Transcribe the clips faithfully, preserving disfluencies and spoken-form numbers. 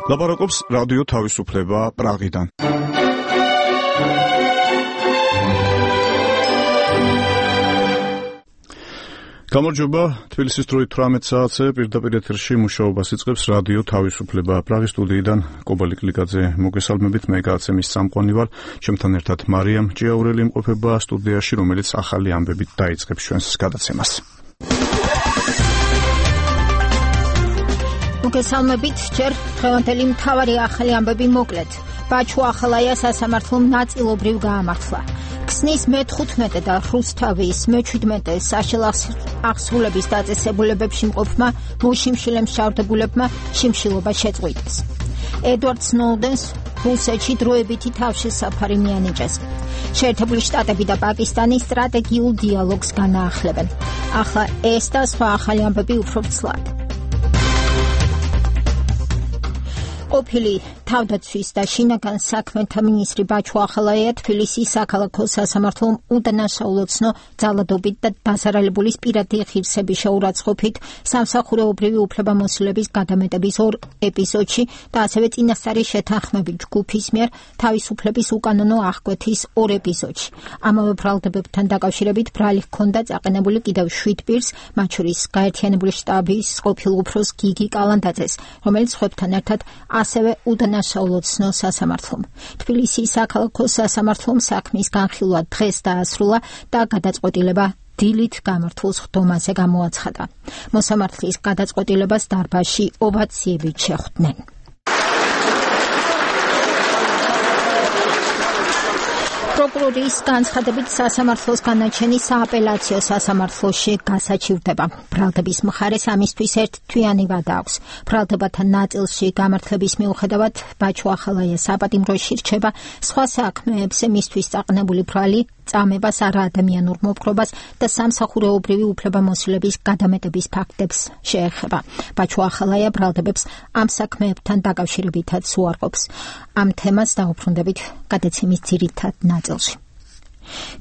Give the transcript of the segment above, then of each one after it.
ლაპარაკობს რადიო თავისუფლება პრაღიდან. გამარჯობა, თბილისის დროით თვრამეტ საათზე პირდაპირ ეთერში მუშაობას იწყებს რადიო თავისუფლება პრაღის სტუდიიდან კობალი კლიკაძე მოგესალმებით, მე გააცემის წამყვანი ვარ, ჩემთან ერთად მარიამ ჭიაურელი იმყოფება სტუდიაში, რომელიც ახალი ამბებით დაიწყებს ჩვენს გადაცემას. მოგესალმებით, ჯერ დღევანდელი მთავარი ახალი ამბები მოკლედ. ბაჩუ ახალაია სასამართლომ ნაწილობრივ გაამართლა. ქსნის მეთხუთმეტე და რუსთავის მეჩვიდმეტე საშელახსრულების დაწესებულებებში მყოფმა მოშიმშილემ შავდებულებმა შიმშილობა შეწყვიტეს. ედვარდ სნოუდენს რუსეთში დროებითი თავშესაფარი მიანიჭეს. შეერთებული შტატები და პაკისტანი სტრატეგიულ დიალოგს განაახლებენ. ახლა ეს და სხვა ახალი ამბები უფრო ცლად. ყოფილი თავდაცვის და შინაგან საქმეთა მინისტრი ბაჩუ ახალაია თბილისის საქალაქო სასამართლომ უდანაშაულოცნო ძალადობით და დაზარალებულის პირადი ღირსების შეურაცხყოფით სამსახურეობრივი უფლებამოსილების გადამეტების ორ ეპიზოდში და ასევე წინასწარი შეთანხმებით ჯგუფის მიერ თავისუფლების უკანონო აღკვეთის ორ ეპიზოდში. ამავე ბრალდებებთან დაკავშირებით ბრალი ჰქონდა წაყენებული კიდევ შვიდ პირს, მათ შორის გაერთიანებული შტაბის ყოფილ უფროს გიგი კალანდაძეს, რომელიც სხვებთან ერთად ასევე უდანაშაულოცნო სასამართლომ. თბილისის საქალაქო სასამართლომ საქმის განხილვა დღეს დაასრულა და გადაწყვეტილება დილით გამართულ ხდომაზე გამოაცხადა. მოსამართლის გადაწყვეტილებას დარბაზში ოვაციებით შეხვდნენ. პროკურორის განცხადებით სასამართლოს განაჩენი სააპელაციო სასამართლოში გასაჩივრდება. ბრალდების მხარეს ამისთვის ერთთვიანი ვადა აქვს. ბრალდებათა ნაწილში გამართლების მიუხედავად ბაჩუ ახალაია საპატიმროში რჩება, სხვა საქმეებზე მისთვის წაყენებული ბრალი წამებას არაადამიანურ მოპყრობას და სამსახურეობრივი უფლებამოსილების გადამეტების ფაქტებს შეეხება. ბაჩუ ახალაია ბრალდებებს ამ საქმეებთან დაკავშირებითაც უარყოფს. ამ თემას დაუბრუნდებით გადაცემის ძირითად ნაწილში.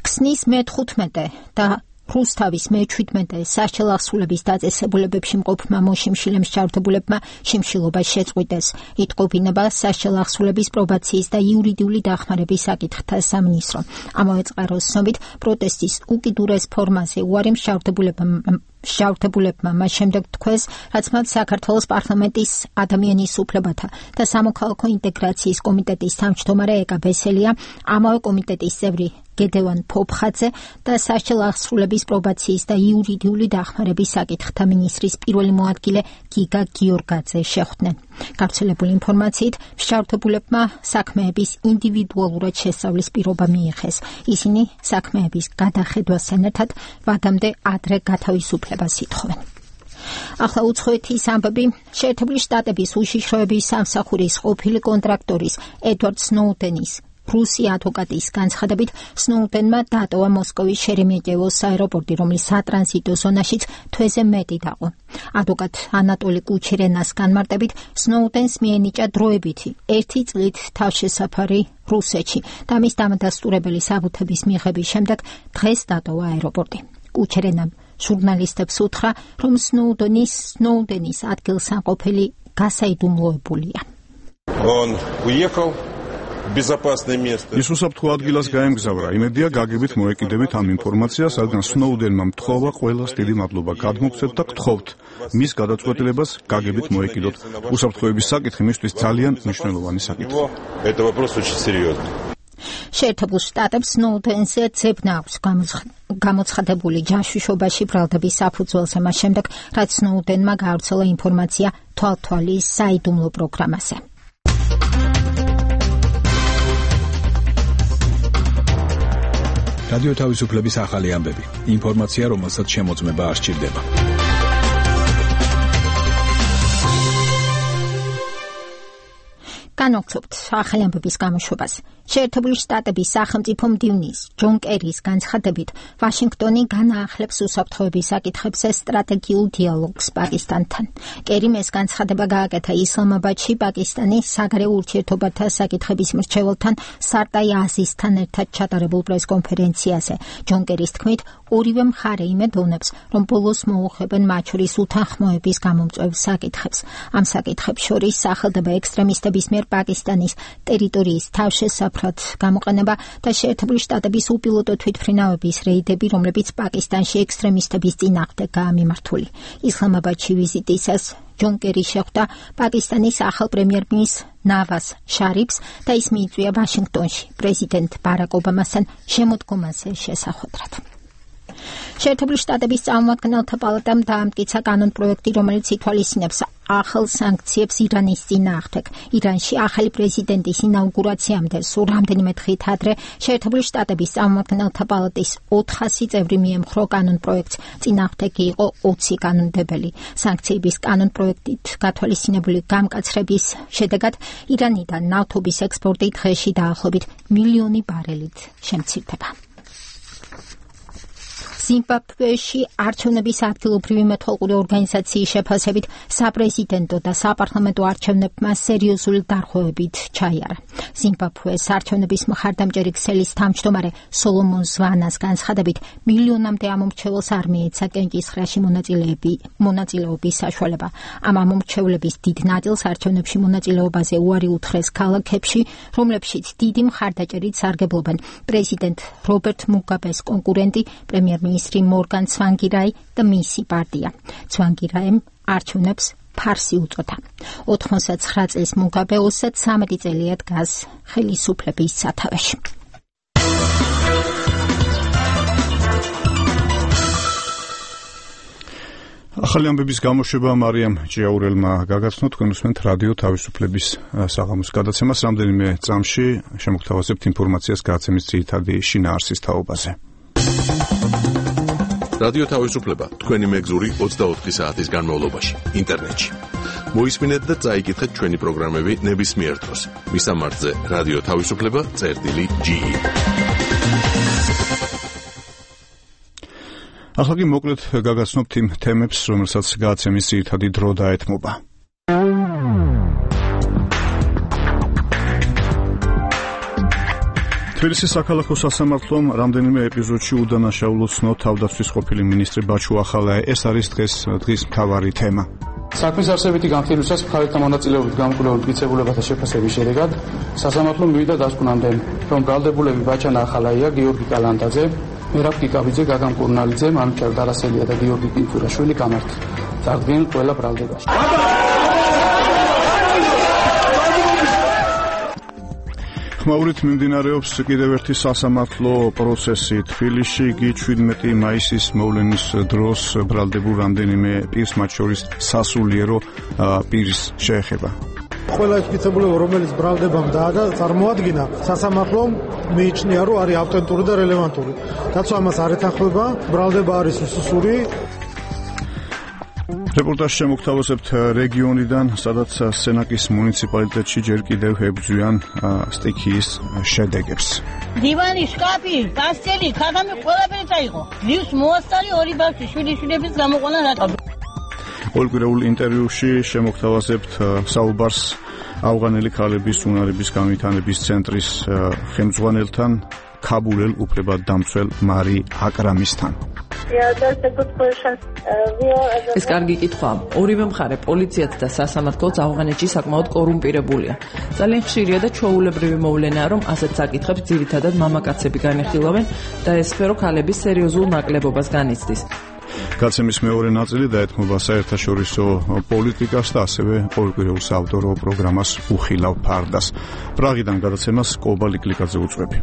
ქსნის მეთხუთმეტე და რუსთავის მეჩვიდმეტე საშელახსრულების დაწესებულებებში მყოფმა მოშიმშილემ შავდებულებმა შიმშილობა შეწყვიტეს. იტყობინება საშელახსრულების პრობაციის და იურიდიული დახმარების საკითხთა სამინისტრო. ამავე წყაროს ცნობით პროტესტის უკიდურეს ფორმაზე უარი მშავდებულებმა შავდებულებმა მას შემდეგ თქვეს, რაც მათ საქართველოს პარლამენტის ადამიანის უფლებათა და სამოქალაქო ინტეგრაციის კომიტეტის თავმჯდომარე ეკა ბესელია, ამავე კომიტეტის წევრი გედევან ფოფხაძე და საშელახსრულების პრობაციის და იურიდიული დახმარების საკითხთა მინისტრის პირველი მოადგილე გიგა გიორგაძე შეხვდნენ. გავრცელებული ინფორმაციით, შავდებულებმა საქმეების ინდივიდუალურად შესწავლის პირობა მიიღეს. ისინი საქმეების გადახედვასთან ერთად ვადამდე ადრე გათავისუფლებას ითხოვენ. ახლა უცხოეთის ამბები. შეერთებული შტატების უშიშროების სამსახურის ყოფილი კონტრაქტორის ედვარდ სნოუდენის რუსი ადვოკატის განცხადებით, სნოუდენმა დატოვა მოსკოვის შერემეტიევოს აეროპორტი, რომლის სატრანზიტო ზონაშიც თვეზე მეტი დაყო. ადვოკატ ანატოლი კუჩერენას განმარტებით, სნოუდენს მიენიჭა დროებითი ერთი წლით თავშესაფარი რუსეთში და მის დამადასტურებელი საბუთების მიღების შემდეგ დღეს დატოვა აეროპორტი. კუჩერენამ ჟურნალისტებს უთხრა, რომ სნოუდენის სნოუდენის ადგილსამყოფელი გასაიდუმლოებულია. Он уехал. ის უსაფრთხო ადგილას გაემგზავრა. იმედია გაგებით მოეკიდებით ამ ინფორმაციას, რადგან სნოუდენმა მთხოვა ყველას დიდი მადლობა გადმოგცეთ და გთხოვთ მის გადაწყვეტილებას გაგებით მოეკიდოთ. უსაფრთხოების საკითხი მისთვის ძალიან მნიშვნელოვანი საკითხია. შეერთებულ შტატებს სნოუდენზე ძებნა აქვს გამოცხადებული ჯაშუშობაში ბრალდების საფუძველზე მას შემდეგ, რაც სნოუდენმა გაავრცელა ინფორმაცია თვალთვალის საიდუმლო პროგრამაზე. რადიო თავისუფლების ახალი ამბები. ინფორმაცია, რომელსაც შემოწმება არ სჭირდება. განვაგრძობთ ახალი ამბების გამოშვებას. შეერთებული შტატების სახელმწიფო მდივნის ჯონ კერის განცხადებით, ვაშინგტონი განაახლებს უსაფრთხოების საკითხებზე სტრატეგიულ დიალოგს პაკისტანთან. კერიმ ეს განცხადება გააკეთა ისლამაბადში პაკისტანის საგარეო ურთიერთობათა საკითხების მრჩეველთან სარტაი აზიზთან ერთად ჩატარებულ პრესკონფერენციაზე. ჯონ კერის თქმით, ორივე მხარე იმედოვნებს, რომ ბოლოს მოუხმენ მათ შორის უთანხმოების გამომწვევ საკითხებს. ამ საკითხებს შორის სახელდება ექსტრემისტების მიერ პაკისტანის ტერიტორიის თავშესაფრად გამოყენება და შეერთებული შტატების უპილოტო თვითმფრინავების რეიდები, რომლებიც პაკისტანში ექსტრემისტების წინააღმდეგ გაამიმართული. ისლამაბადში ვიზიტისას ჯონ კერი შეხვდა პაკისტანის ახალ პრემიერ-მინისტრს ნავაზ შარიფს და ის მიიწვია ვაშინგტონში პრეზიდენტ ბარაკ ობამასთან შემოდგომაზე შესახვედრად. შეერთებული შტატების წარმომადგენელთა პალატამ დაამტკიცა კანონპროექტი, რომელიც ითვალისწინებს ახალ სანქციებს ირანის წინააღმდეგ. ირანში ახალი პრეზიდენტის ინაუგურაციამდე სულ რამდენიმე დღით ადრე შეერთებული შტატების წარმომადგენელთა პალატის ოთხასი წევრი მიემხრო კანონპროექტს, წინააღმდეგ იყო ოცი კანონმდებელი. სანქციების კანონპროექტით გათვალისწინებული გამკაცრების შედეგად ირანიდან ნავთობის ექსპორტი დღეში დაახლოებით მილიონი ბარელით შემცირდება. ზიმბაბვეში არჩევნების ადგილობრივი მეთვალყური ორგანიზაციის შეფასებით საპრეზიდენტო და საპარლამენტო არჩევნებმა სერიოზული დარღვევებით ჩაიარა. ზიმბაბვეს არჩევნების მხარდამჭერი ქსელის თავმჯდომარე სოლომონ ზვანას განცხადებით, მილიონამდე ამომრჩეველს არ მიეცა კენჭისყრაში მონაწილეობის საშუალება. ამ ამომრჩევლების დიდ ნაწილს არჩევნებში მონაწილეობაზე უარი უთხრეს ქალაქებში, რომლებშიც დიდი მხარდაჭერით სარგებლობენ პრეზიდენტ რობერტ მუგაბეს კონკურენტი პრემიერ-მინისტრი მორგან ცვანგირაი და მისი პარტია. ცვანგირაიმ არჩევნებს ფარსი უწოდა. ოთხმოცდათცხრა წლის მუგაბე ოცდათვრამეტი წელია დგას ხელისუფლების სათავეში. ახალი ამბების გამოშვება მარიამ ჭიაურელმა გაგაცნო. თქვენ უსმენთ რადიო თავისუფლების საღამოს გადაცემას. რამდენიმე წამში შემოგთავაზებთ ინფორმაციას გადაცემის ძირითადი შინაარსის თაობაზე. რადიო თავისუფლება თქვენი მეგზური ოცდაოთხი საათის განმავლობაში ინტერნეტში. მოისმინეთ და წაიკითხეთ ჩვენი პროგრამები ნებისმიერ დროს. მისამართზე რადიო თავისუფლება წერტილი ჯი. ახლა კი მოკლედ გაგაცნობთ იმ თემებს, რომელსაც გადაცემის ძირითადი დრო დაეთმობა. თბილისის საქალაქო სასამართლომ რამდენიმე ეპიზოდში უდანაშაულო ცნო თავდაცვის ყოფილი მინისტრი ბაჩუ ახალაე. ეს არის დღეს დღის მთავარი თემა. საქმის არსებითი განხილვისას მხარეთა მონაწილეობით გამკვლევი მტკიცებულებათა შეფასების შედეგად სასამართლომ მივიდა დასკვნამდე, რომ ბრალდებულები ბაჩანა ახალაია, გიორგი კალანდაძე, მერაბ კიკაბიძე, გაგამ კურნალიძე, მამიჩარ დარასელია და გიორგი კინძურაშვილი გამართ. წარდგნენ ყველა ბრალდებაში. ხმაურით მიმდინარეობს კიდევ ერთი სასამართლო პროცესი თბილისში. იგი შვიდმეტი მაისის მოვლენის დროს ბრალდებულ რამდენიმე პირს, მათ შორის სასულიერო პირს შეეხება. ყველა მტკიცებულება, რომელიც ბრალდებამ წარმოადგინა, სასამართლომ მიიჩნია, რომ არის ავტენტური და რელევანტური. რაც ამას არ ეთანხმება, ბრალდება არის უსუსური. რეპორტაჟი შემოგთავაზებთ რეგიონიდან, სადაც სენაკის მუნიციპალიტეტში ჯერ კიდევ ებრძვიან სტიქიის შედეგებს. დივანი, შკაფი, პასტელი, ქაღამი ყველაფერი წაიღო. ლივს მოასწარი ორი ბავშვი შვილიშვილების გამოყვანა რატო? ოლკვირეულ ინტერვიუში შემოგთავაზებთ საუბარს ავღანელი ქალების უნარების განვითარების ცენტრის ხელმძღვანელთან, ქაბულელ უფლებადდამცველ მარი აკრამისთან. ეს კარგი კითხვაა. ორივე მხარე, პოლიციაც და სასამართლოც ავღანეთში საკმაოდ კორუმპირებულია. ძალიან ხშირია და ჩვეულებრივი მოვლენაა, რომ ასეთ საკითხებს ძირითადად მამაკაცები განეხილავენ და ეს სფერო ქალების სერიოზულ ნაკლებობას განიცდის. გადაცემის მეორე ნაწილი დაეთმობა საერთაშორისო პოლიტიკას და ასევე ყოველკვირეულ საავტორო პროგრამას უხილავ ფარდას. პრაღიდან გადაცემას კობალი კლიკაძე უწვევი.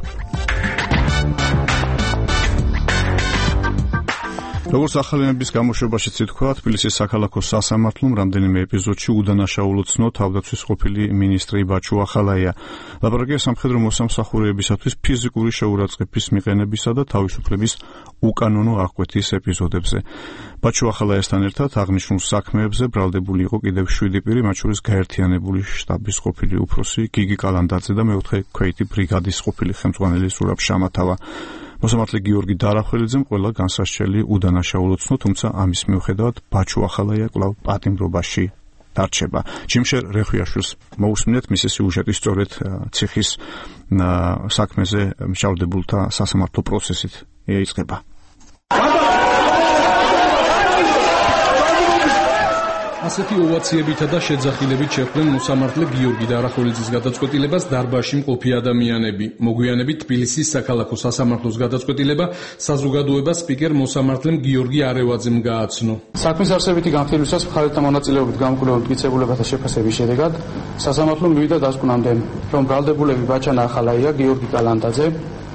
როგორც ახალინების გამოშვებაშიც ითქვა, თბილისის საქალაქო სასამართლომ რამდენიმე ეპიზოდში უდანაშაულო ცნო თავდაცვის ყოფილი მინისტრი ბაჩუ ახალაია. ლაპარაკია სამხედრო მოსამსახურეებისათვის ფიზიკური შეურაცხყოფის მიყენებისა და თავისუფლების უკანონო აღკვეთის ეპიზოდებზე. ბაჩუ ახალაიასთან ერთად აღნიშნულ საქმეებზე ბრალდებული იყო კიდევ შვიდი პირი, მათ შორის გაერთიანებული შტაბის ყოფილი უფროსი გიგი კალანდაძე და მეოთხე ქვეითი ბრიგადის ყოფილი ხელმძღვანელი ზურაბ შამათავა. მოსამართლე გიორგი დარახველიძემ ყველა განსასჯელი უდანაშაულო ცნო, თუმცა ამის მიუხედავად ბაჩუ ახალაია კვლავ პატიმრობაში დარჩება. ჯიმშერ რეხვიაშვილს მოусმინეთ მისი სიუჟეტი სწორედ ციხის საქმეზე მშავდებულთა სასამართლო პროცესით იწყება. ასეთი ოვაციებითა და შეძახილებით შეხვდნენ მოსამართლე გიორგი დარახველიძის გადაწყვეტილებას დარბაზში მყოფი ადამიანები. მოგვიანებით თბილისის საქალაქო სასამართლოს გადაწყვეტილება საზოგადოებას სპიკერ მოსამართლემ გიორგი არევაძემ გააცნო. საქმის არსებითი განხილვისას მხარეთა მონაწილეობით გამკვლევ მტკიცებულებათა შეფასების შედეგად სასამართლომ მივიდა დასკვნამდე, რომ ბრალდებულები ბაჩანა ახალაია, გიორგი კალანდაძე,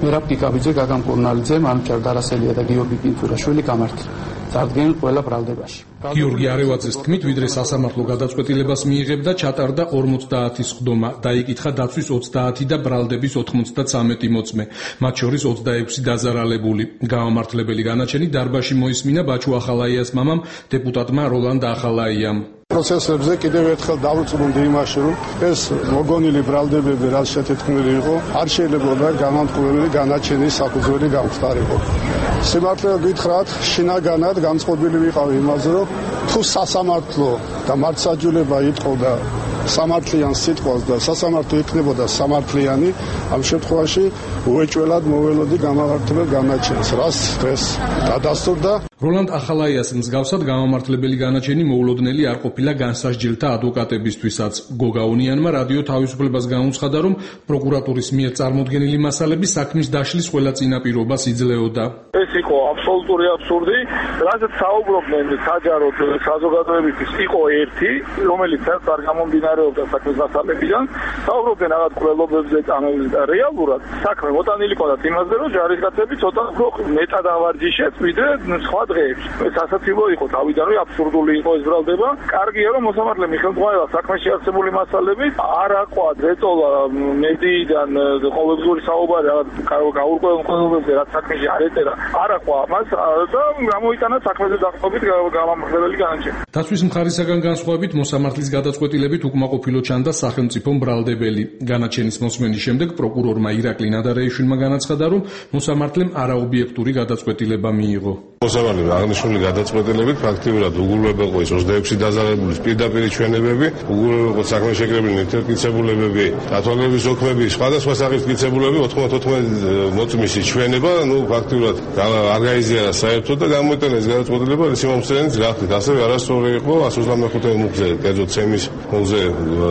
მერაბ კიკაბიძე, გაგამ კურნალიძე, მანუჩარ დარასელია და გიორგი პინტურაშვილი გამართლენ. წარდგნენ ყველა ბრალდებაში. გიორგი არევაძეს თქმით, ვიდრე სასამართლო გადაწყვეტილებას მიიღებდა, ჩატარდა ორმოცდაათი სხდომა, დაიკითხა დაცვის ოცდაათი და ბრალდების ოთხმოცდაცამეტი მოწმე, მათ შორის ოცდაექვსი დაზარალებული. გამომართლებელი განაჩენი დარბაზში მოისმინა ბაჩუ ახალაიას მამამ, დეპუტატმა როლანდ ახალაიამ. პროცესებზე კიდევ ერთხელ დავუწმუნდი იმაში, რომ ეს მოგონილი ბრალდებები რაც შეთეთქმული იყო, არ შეიძლება გამამტყუებელი განაჩენის საფუძველი გამხდარიყო. სიმართლე გითხრათ, შინაგანად განწყობილი ვიყავი იმაზე, რომ თუ სასამართლო და მართლმსაჯულება იტყოდა სამართლიან სიტყვას და სასამართლო იქნებოდა სამართლიანი, ამ შემთხვევაში უეჭველად მოველოდი გამამართლებელ განაჩენს, რაც დღეს დადასტურდა. როლანდ ახალაიას მსგავსად გამამართლებელი განაჩენი მოულოდნელი არ ყოფილა განსასჯელთა ადვოკატებისთვისაც. გოგაუნიანმა რადიო თავისუფლებას განუცხადა, რომ პროკურატურის მიერ წარმოდგენილი მასალები საქმის დაშლის ყველა წინაპირობას იძლეოდა. ეს იყო აბსოლუტური აბსურდი, რაზეც საუბრობდნენ საჯაროდ საზოგადოებისთვის იყო ერთი, რომელიც არ გამომდინარეობდა საქმის მასალებიდან, საუბრობდნენ რაღაც კვლევებზე წამებზე და რეალურად საქმე მოტანილი ყავდათ იმაზე, რომ ჯარისკაცები ცოტა უფრო მეტად ავარჯიშეთ, ვიდრე სხვა დღეებში. ეს ასაცილო იყო თავიდან, რომ აბსურდული იყო ეს ბრალდება. კარგია, რომ მოსამართლე მიხელმძღვანელად საქმეში არსებული მასალებით არ აყვა დეტოლა მედიიდან ყოველდღიური საუბარი რაღაც გაურკვევლობებზე, რაც საქმეში არ ეწერა, არ აყვა ამას და გამოიტანა საქმეზე დაყრდნობით გამამართლებელი განაჩენი. დაცვის მხარისაგან განსხვავებით მოსამართლის გადაწყვეტილებით უკმაყოფილო ჩანდა სახელმწიფო ბრალდებელი. განაჩენის მოსმენის შემდეგ პროკურორმა ირაკლი ნადარეიშვილმა განაცხადა, რომ მოსამართლემ არაობიექტური გადაწყვეტილება მიიღო. მოსამართლემ აღნიშნული გადაწყვეტილებით ფაქტიურად უგულებელყო ის ოცდაექვსი დაზარალებულის პირდაპირ ჩვენებები, უგულებელყო საქმეში შეკრებილი ნივთიერკიცებულებები, დათვალიერების ოქმები, სხვადასხვა სახის კიცებულებები, ოთხმოცდაოთხ მოწმის ჩვენება, ნუ ფაქტიურად არ გაიზიარა საერთოდ და გამოიტანა ეს გადაწყვეტილება სიმომსწრენით გახდით. ასევე არასწორი იყო εκ ოცდამეხუთე მუხზე, კერძო ცემის მუხზე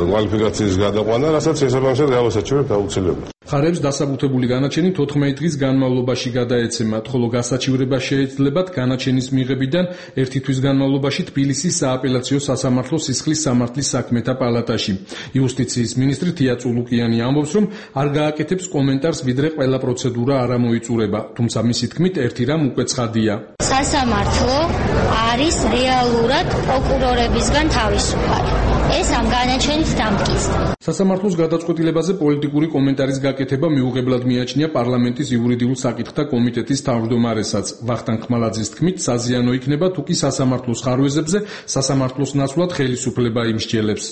კვალიფიკაციის გადაყვანა, რასაც შესაბამისად გავასაჩივრებთ აუცილებლად. მხარებს დასაბუთებული განაჩენი თოთხმეტი დღის განმავლობაში გადაეცემათ, ხოლო გასაჩივრება შეეძლებათ განაჩენის მიღებიდან ერთი თვის განმავლობაში თბილისის სააპელაციო სასამართლო სისხლის სამართლის საქმეთა პალატაში. იუსტიციის მინისტრი თია წულუკიანი ამბობს, რომ არ გააკეთებს კომენტარს, ვიდრე ყველა პროცედურა არ ამოიწურება, თუმცა მისი თქმით ერთი რამ უკვე ცხადია. სასამართლო არის რეალურად პროკურორებისგან თავისუფალი. ეს ამ განაჩენით დამტკიცდა. სასამართლოს გადაწყვეტილებაზე პოლიტიკური კომენტარის გაკეთება მიუღებლად მიაჩნია პარლამენტის იურიდიულ საკითხთა კომიტეტის თავმჯდომარესაც. ვახტანგ ხმალაძის თქმით, საზიანო იქნება თუ კი სასამართლოს ხარვეზებზე სასამართლოს ნაცვლად ხელისუფლება იმსჯელებს.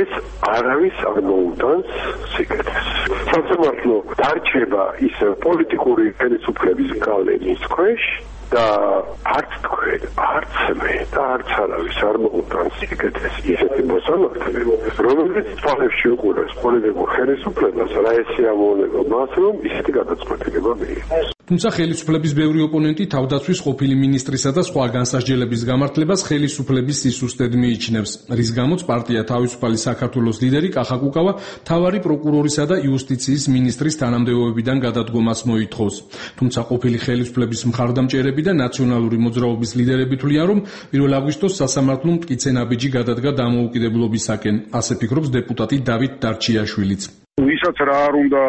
ეს არავის არ მოუტანს სიკეთეს. სასამართლო დარჩება ის პოლიტიკური ხელისუფლების გავლენის ქვეშ და არც თქვენ, არც მე და არც არავის არ მოუტანს სიკეთეს ისეთი მოსამართლე, რომელიც თვალებში უყურებს პოლიტიკურ ხელისუფლებას, რა ესე ამოუნება მას, რომ ისეთი გადაწყვეტილება მიიღოს. თუმცა ხელისუფლების ბევრი ოპონენტი თავდაცვის ყოფილი მინისტრისა და სხვა განსასჯელების გამართლებას ხელისუფლების სისუსტედ მიიჩნევს, რის გამოც პარტია თავისუფალი საქართველოს ლიდერი კახა კუკავა მთავარი პროკურორისა და იუსტიციის მინისტრის თანამდებობებიდან გადადგომას მოითხოვს. თუმცა ყოფილი ხელისუფლების მხარდამჭერები და ნაციონალური მოძრაობის ლიდერები თვლიან, რომ პირველ აგვისტოს სასამართლომ მტკიცე ნაბიჯი გადადგა დამოუკიდებლობისაკენ, ასე ფიქრობს დეპუტატი დავით დარჩიაშვილიც. ვის როდესაც რა არ უნდა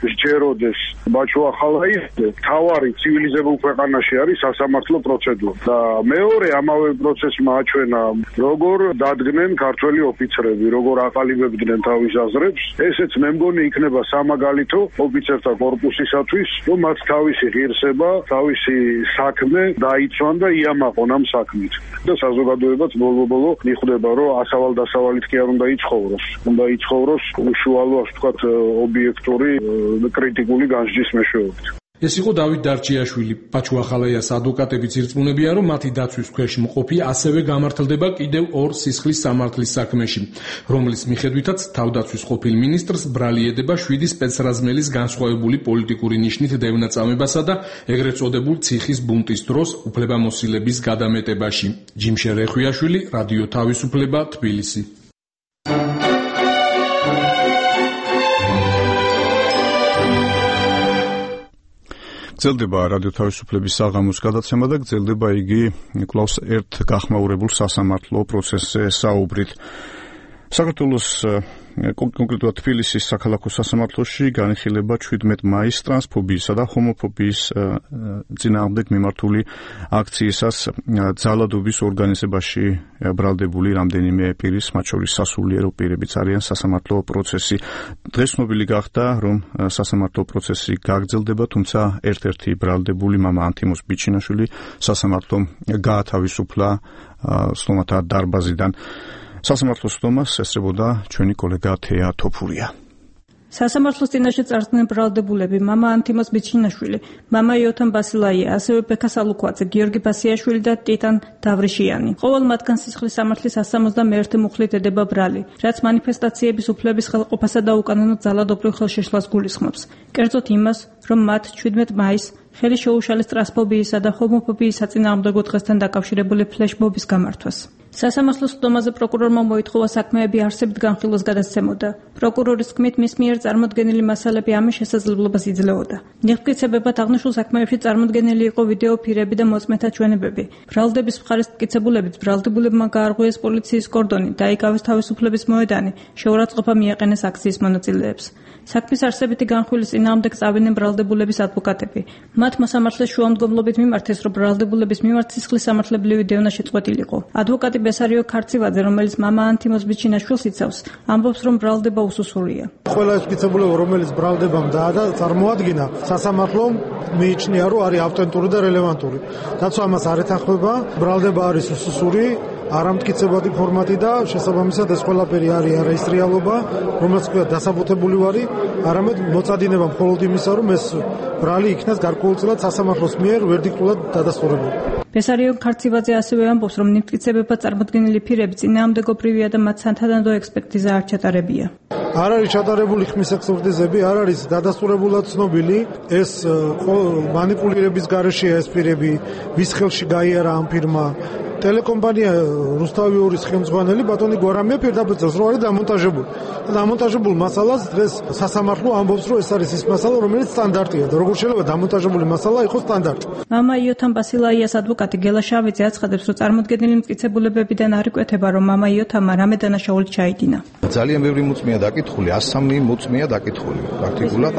სჯეროდეს ბაჩუახალაიძე, თავარი ცივილიზებულ ქვეყანაში არის სასამართლო პროცედურა და მეორე ამავე პროცესმა აჩვენა როგორ დადგნენ ქართველი ოფიცრები, როგორ აყალიბებდნენ თავის აზრებს. ესეც მე მგონი იქნება სამაგალითო ოფიცერთა კორპუსისათვის, რომ მათ თავისი ღირსება, თავისი საქმე დაიცვან და იამაყონ ამ საქმით. და საზოგადოებაც ბოლო-ბოლო მიხვდება, რომ ასავალ-დასავალით კი არ უნდა იცხოვროს. უნდა იცხოვროს უშუალო, ასე ვთქვათ, ობიექტური კრიტიკული განსჯის მეშვეობით. ეს იყო დავით დარჩიაშვილი. ბაჩუახალაიას ადვოკატებიც ირწმუნებიან, რომ მათი დაცვის ქვეშ მყოფი ასევე გამართლდება კიდევ ორ სისხლის სამართლის საქმეში, რომლის მიხედვითაც თავდაცვის ყოფილ მინისტრს ბრალი ედება შვიდი სპეცრაზმელის განსხვავებული პოლიტიკური ნიშნით დევნაწამებასა და ეგრეთ წოდებულ ციხის ბუნტის დროს უფლებამოსილების გადამეტებაში. ჯიმშე რეხვიაშვილი, რადიო თავისუფლება, თბილისი. გრძელდება რადიო თავისუფლების საღამოს გადაცემა და გრძელდება იგი კვლავ ერთ გახმაურებულ სასამართლო პროცესზე საუბრით. საქართველოს კონკრეტულად თბილისის საქალაქო სასამართლოში განიხილება შვიდმეტ მაისს ტრანსფობიისა და ჰომოფობიის წინააღმდეგ მიმართული აქციისას ძალადობის ორგანიზებაში ბრალდებული რამდენიმე პირის, მათ შორის სასულიერო პირებიც არიან სასამართლო პროცესი. დღეს ცნობილი გახდა, რომ სასამართლო პროცესი გაგრძელდება, თუმცა ერთ-ერთი ბრალდებული მამა ანთიმოზ ბიჩინაშვილი სასამართლომ გაათავისუფლა სტომათა დარბაზიდან. სასამართლოს სტომას ესწრებოდა ჩვენი კოლეგა თეა თოფურია. სასამართლოს წინაშე წარსდგნენ ბრალდებულები მამა ანთიმოზ ბიჩინაშვილი, მამა იოთამ ბასილაია, ასევე ბექა სალუქვაძე, გიორგი ბასიაშვილი და ტიტან დავრიშიანი. ყოველ მათგან სისხლის სამართლის one seventy-one მუხლით ედება ბრალი, რაც მანიფესტაციების უფლების ხელყოფასა და უკანონო ძალადობრივ ხელშეშლას გულისხმობს. კერძოდ იმას, რომ მათ შვიდმეტ მაისს ხელი შეუშალეს ტრანსფობიისა და ჰომოფობიის საწინააღმდეგო დღესთან დაკავშირებული ფლეშმობის გამართვას. სასამართლოს სტომაზე პროკურორმა მოითხოვა საქმეები არსებით განხილვას გადასცემოდა. პროკურორის თქმით, მის მიერ წარმოდგენილი მასალები ამის შესაძლებლობას იძლეოდა. მიღწევებად აღნიშნულ საქმეებში წარმოდგენილი იყო ვიდეო ფირები და მოწმეთა ჩვენებები. ბრალდების მხარეს მტკიცებულებით ბრალდებულებმა გაარღვიეს პოლიციის კორდონი, დაიკავეს თავისუფლების მოედანი, შეურაცხყოფა მიაყენეს აქციის მონაწილეებს. საქმის არსებითი განხილვის წინააღმდეგ წავიდნენ ბრალდებულების ადვოკატები. მათ მოსამართლეს შუამდგომლობით მიმართეს, რომ ბრალდებულების მიმართ სისხლის სამართლებრივი დევნა შეწყვეტილიყო. ადვოკატი ბესარიო ქარცივაძე, რომელიც მამა ანთიმოზ ბიჩინაშვილს იცავს, ამბობს, რომ ბრალდება უსუსურია. ყველა ეს მტკიცებულება, რომელიც ბრალდებამ წარმოადგინა, სასამართლომ მიიჩნია, რომ არის ავტენტური და რელევანტური. დაცვა ამას არ ეთანხმება, ბრალდება არის უსუსური, არამტკიცებადი ფორმატი და შესაბამისად ეს ყველაფერი არის არაისრიალობა, რომელსაც ქვია დასაბუთებული ვარი, არამედ მოწადინება მხოლოდ იმისა, რომ ეს ბრალი იქნას გარკვეულწილად სასამართლოს მიერ ვერდიქტულად დადასტურებული. ბესარიო ქარცივაძე ასევე ამბობს, რომ მტკიცებებად წარმოდგენილი ფირები წინააღმდეგობრივია და მათ სათანადო ექსპერტიზა არ ჩატარებია. არ არის ჩატარებული ხმის ექსპერტიზები, არ არის დადასტურებულად ცნობილი ეს მანიპულირების გარეშეა ეს ფირები, ვის ხელში გაიარა ამ ფირმა. ტელეკომპანია რუსთავი ორის ხელმძღვანელი ბატონი გვარამია პირდაპირ წერს, რომ არის დამონტაჟებული. დამონტაჟებულ მასალას დღეს სასამართლო ამბობს, რომ ეს არის ის მასალა, რომელიც სტანდარტია და როგორ შეიძლება დამონტაჟებული მასალა იყოს სტანდარტი. მამა იოთამ ბასილაიას ადვოკატი გელა შავიძე აცხადებს, რომ წარმოდგენილი მტკიცებულებებიდან არ იკვეთება, რომ მამა იოთამმა რამე დანაშაული ჩაიდინა. ძალიან ბევრი მოწმეა დაკითხული, one oh three მოწმეა დაკითხული. პრაქტიკულად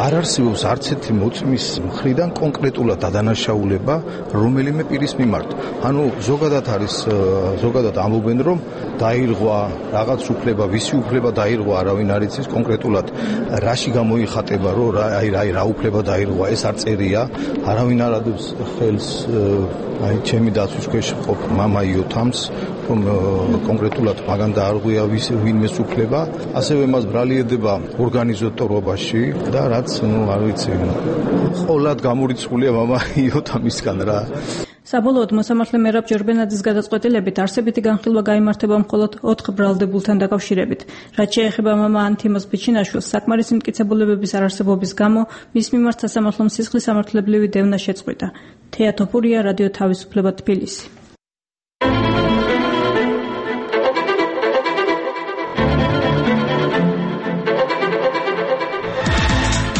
არ არსებობს არც ერთი მოწმის მხრიდან კონკრეტულად დადანაშაულება რომელიმე პირის მიმართ. ანუ ზოგადად არის ზოგადად ამბობენ, რომ დაირღვა რაღაც უფლება, ვისი უფლება დაირღვა, არავინ არ იცის კონკრეტულად რაში გამოიხატება, რომ აი აი რა უფლება დაირღვა, ეს არ წერია, არავინ არ ადებს ხელს აი ჩემი დაცვის ქვეშ ყოფ მამა იოთამს, რომ კონკრეტულად მაგან დაარღვია ვინმეს უფლება, ასევე მას ბრალი ედება ორგანიზატორობაში და რაც ნუ არ ვიცი, ყოლად გამორიცხულია მამა იოთამისგან რა. საბოლოოდ მოსამართლე მერაბ ჯერბენაძის გადაწყვეტილებით არსებითი განხილვა გაიმართება მხოლოდ ოთხ ბრალდებულთან დაკავშირებით. რაც შეეხება მამა ანთიმოზ ბიჩინაშვილს, საკმარისი მტკიცებულებების არარსებობის გამო მის მიმართ სასამართლომ სისხლის სამართლებრივი დევნა შეწყვიტა. თეა თოფურია, რადიო თავისუფლება, თბილისი.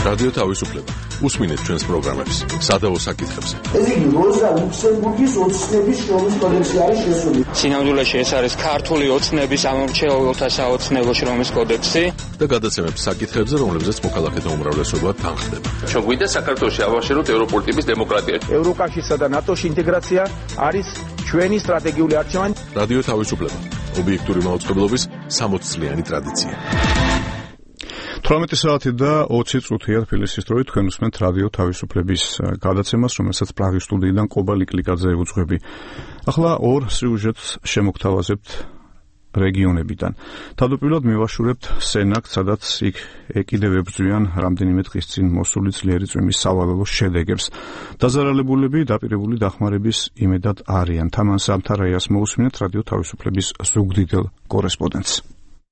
რადიო თავისუფლება უსმინეთ ჩვენს პროგრამებს სადავო საკითხებზე. ეს იგი როზა ლუქსემბურგის ოცნების შრომის კოდექსი არის შესული. სინამდვილეში ეს არის ქართული ოცნების ამორჩეულთა საოცნებო შრომის კოდექსი და გადაცემებს საკითხებზე, რომლებზეც მოქალაქეთა უმრავლესობა თანხდება. ჩვენ გვინდა საქართველოში ავაშეროთ ევროპული ტიპის დემოკრატია. ევროკავშირსა და ნატოში ინტეგრაცია არის ჩვენი სტრატეგიული არჩევანი. რადიო თავისუფლება, ობიექტური მაუწყებლობის სამოც წლიანი ტრადიცია. თვრამეტი საათი და ოცი წუთია თბილისის დროით თქვენ უსმენთ რადიო თავისუფლების გადაცემას, რომელსაც პრაღის სტუდიიდან ყობა ლიკლიკაძე უძღვები. ახლა ორ სიუჟეტს შემოგთავაზებთ რეგიონებიდან. თავდაპირველად მივაშურებთ სენაკს, სადაც იქ კიდევ ებრძვიან რამდენიმე დღის წინ მოსული ძლიერი წვიმის სავალალო შედეგებს. დაზარალებულები დაპირებული დახმარების იმედად არიან. თამან სამთარაიას მოусმინეთ რადიო თავისუფლების ზუგდიდელ კორესპონდენტს.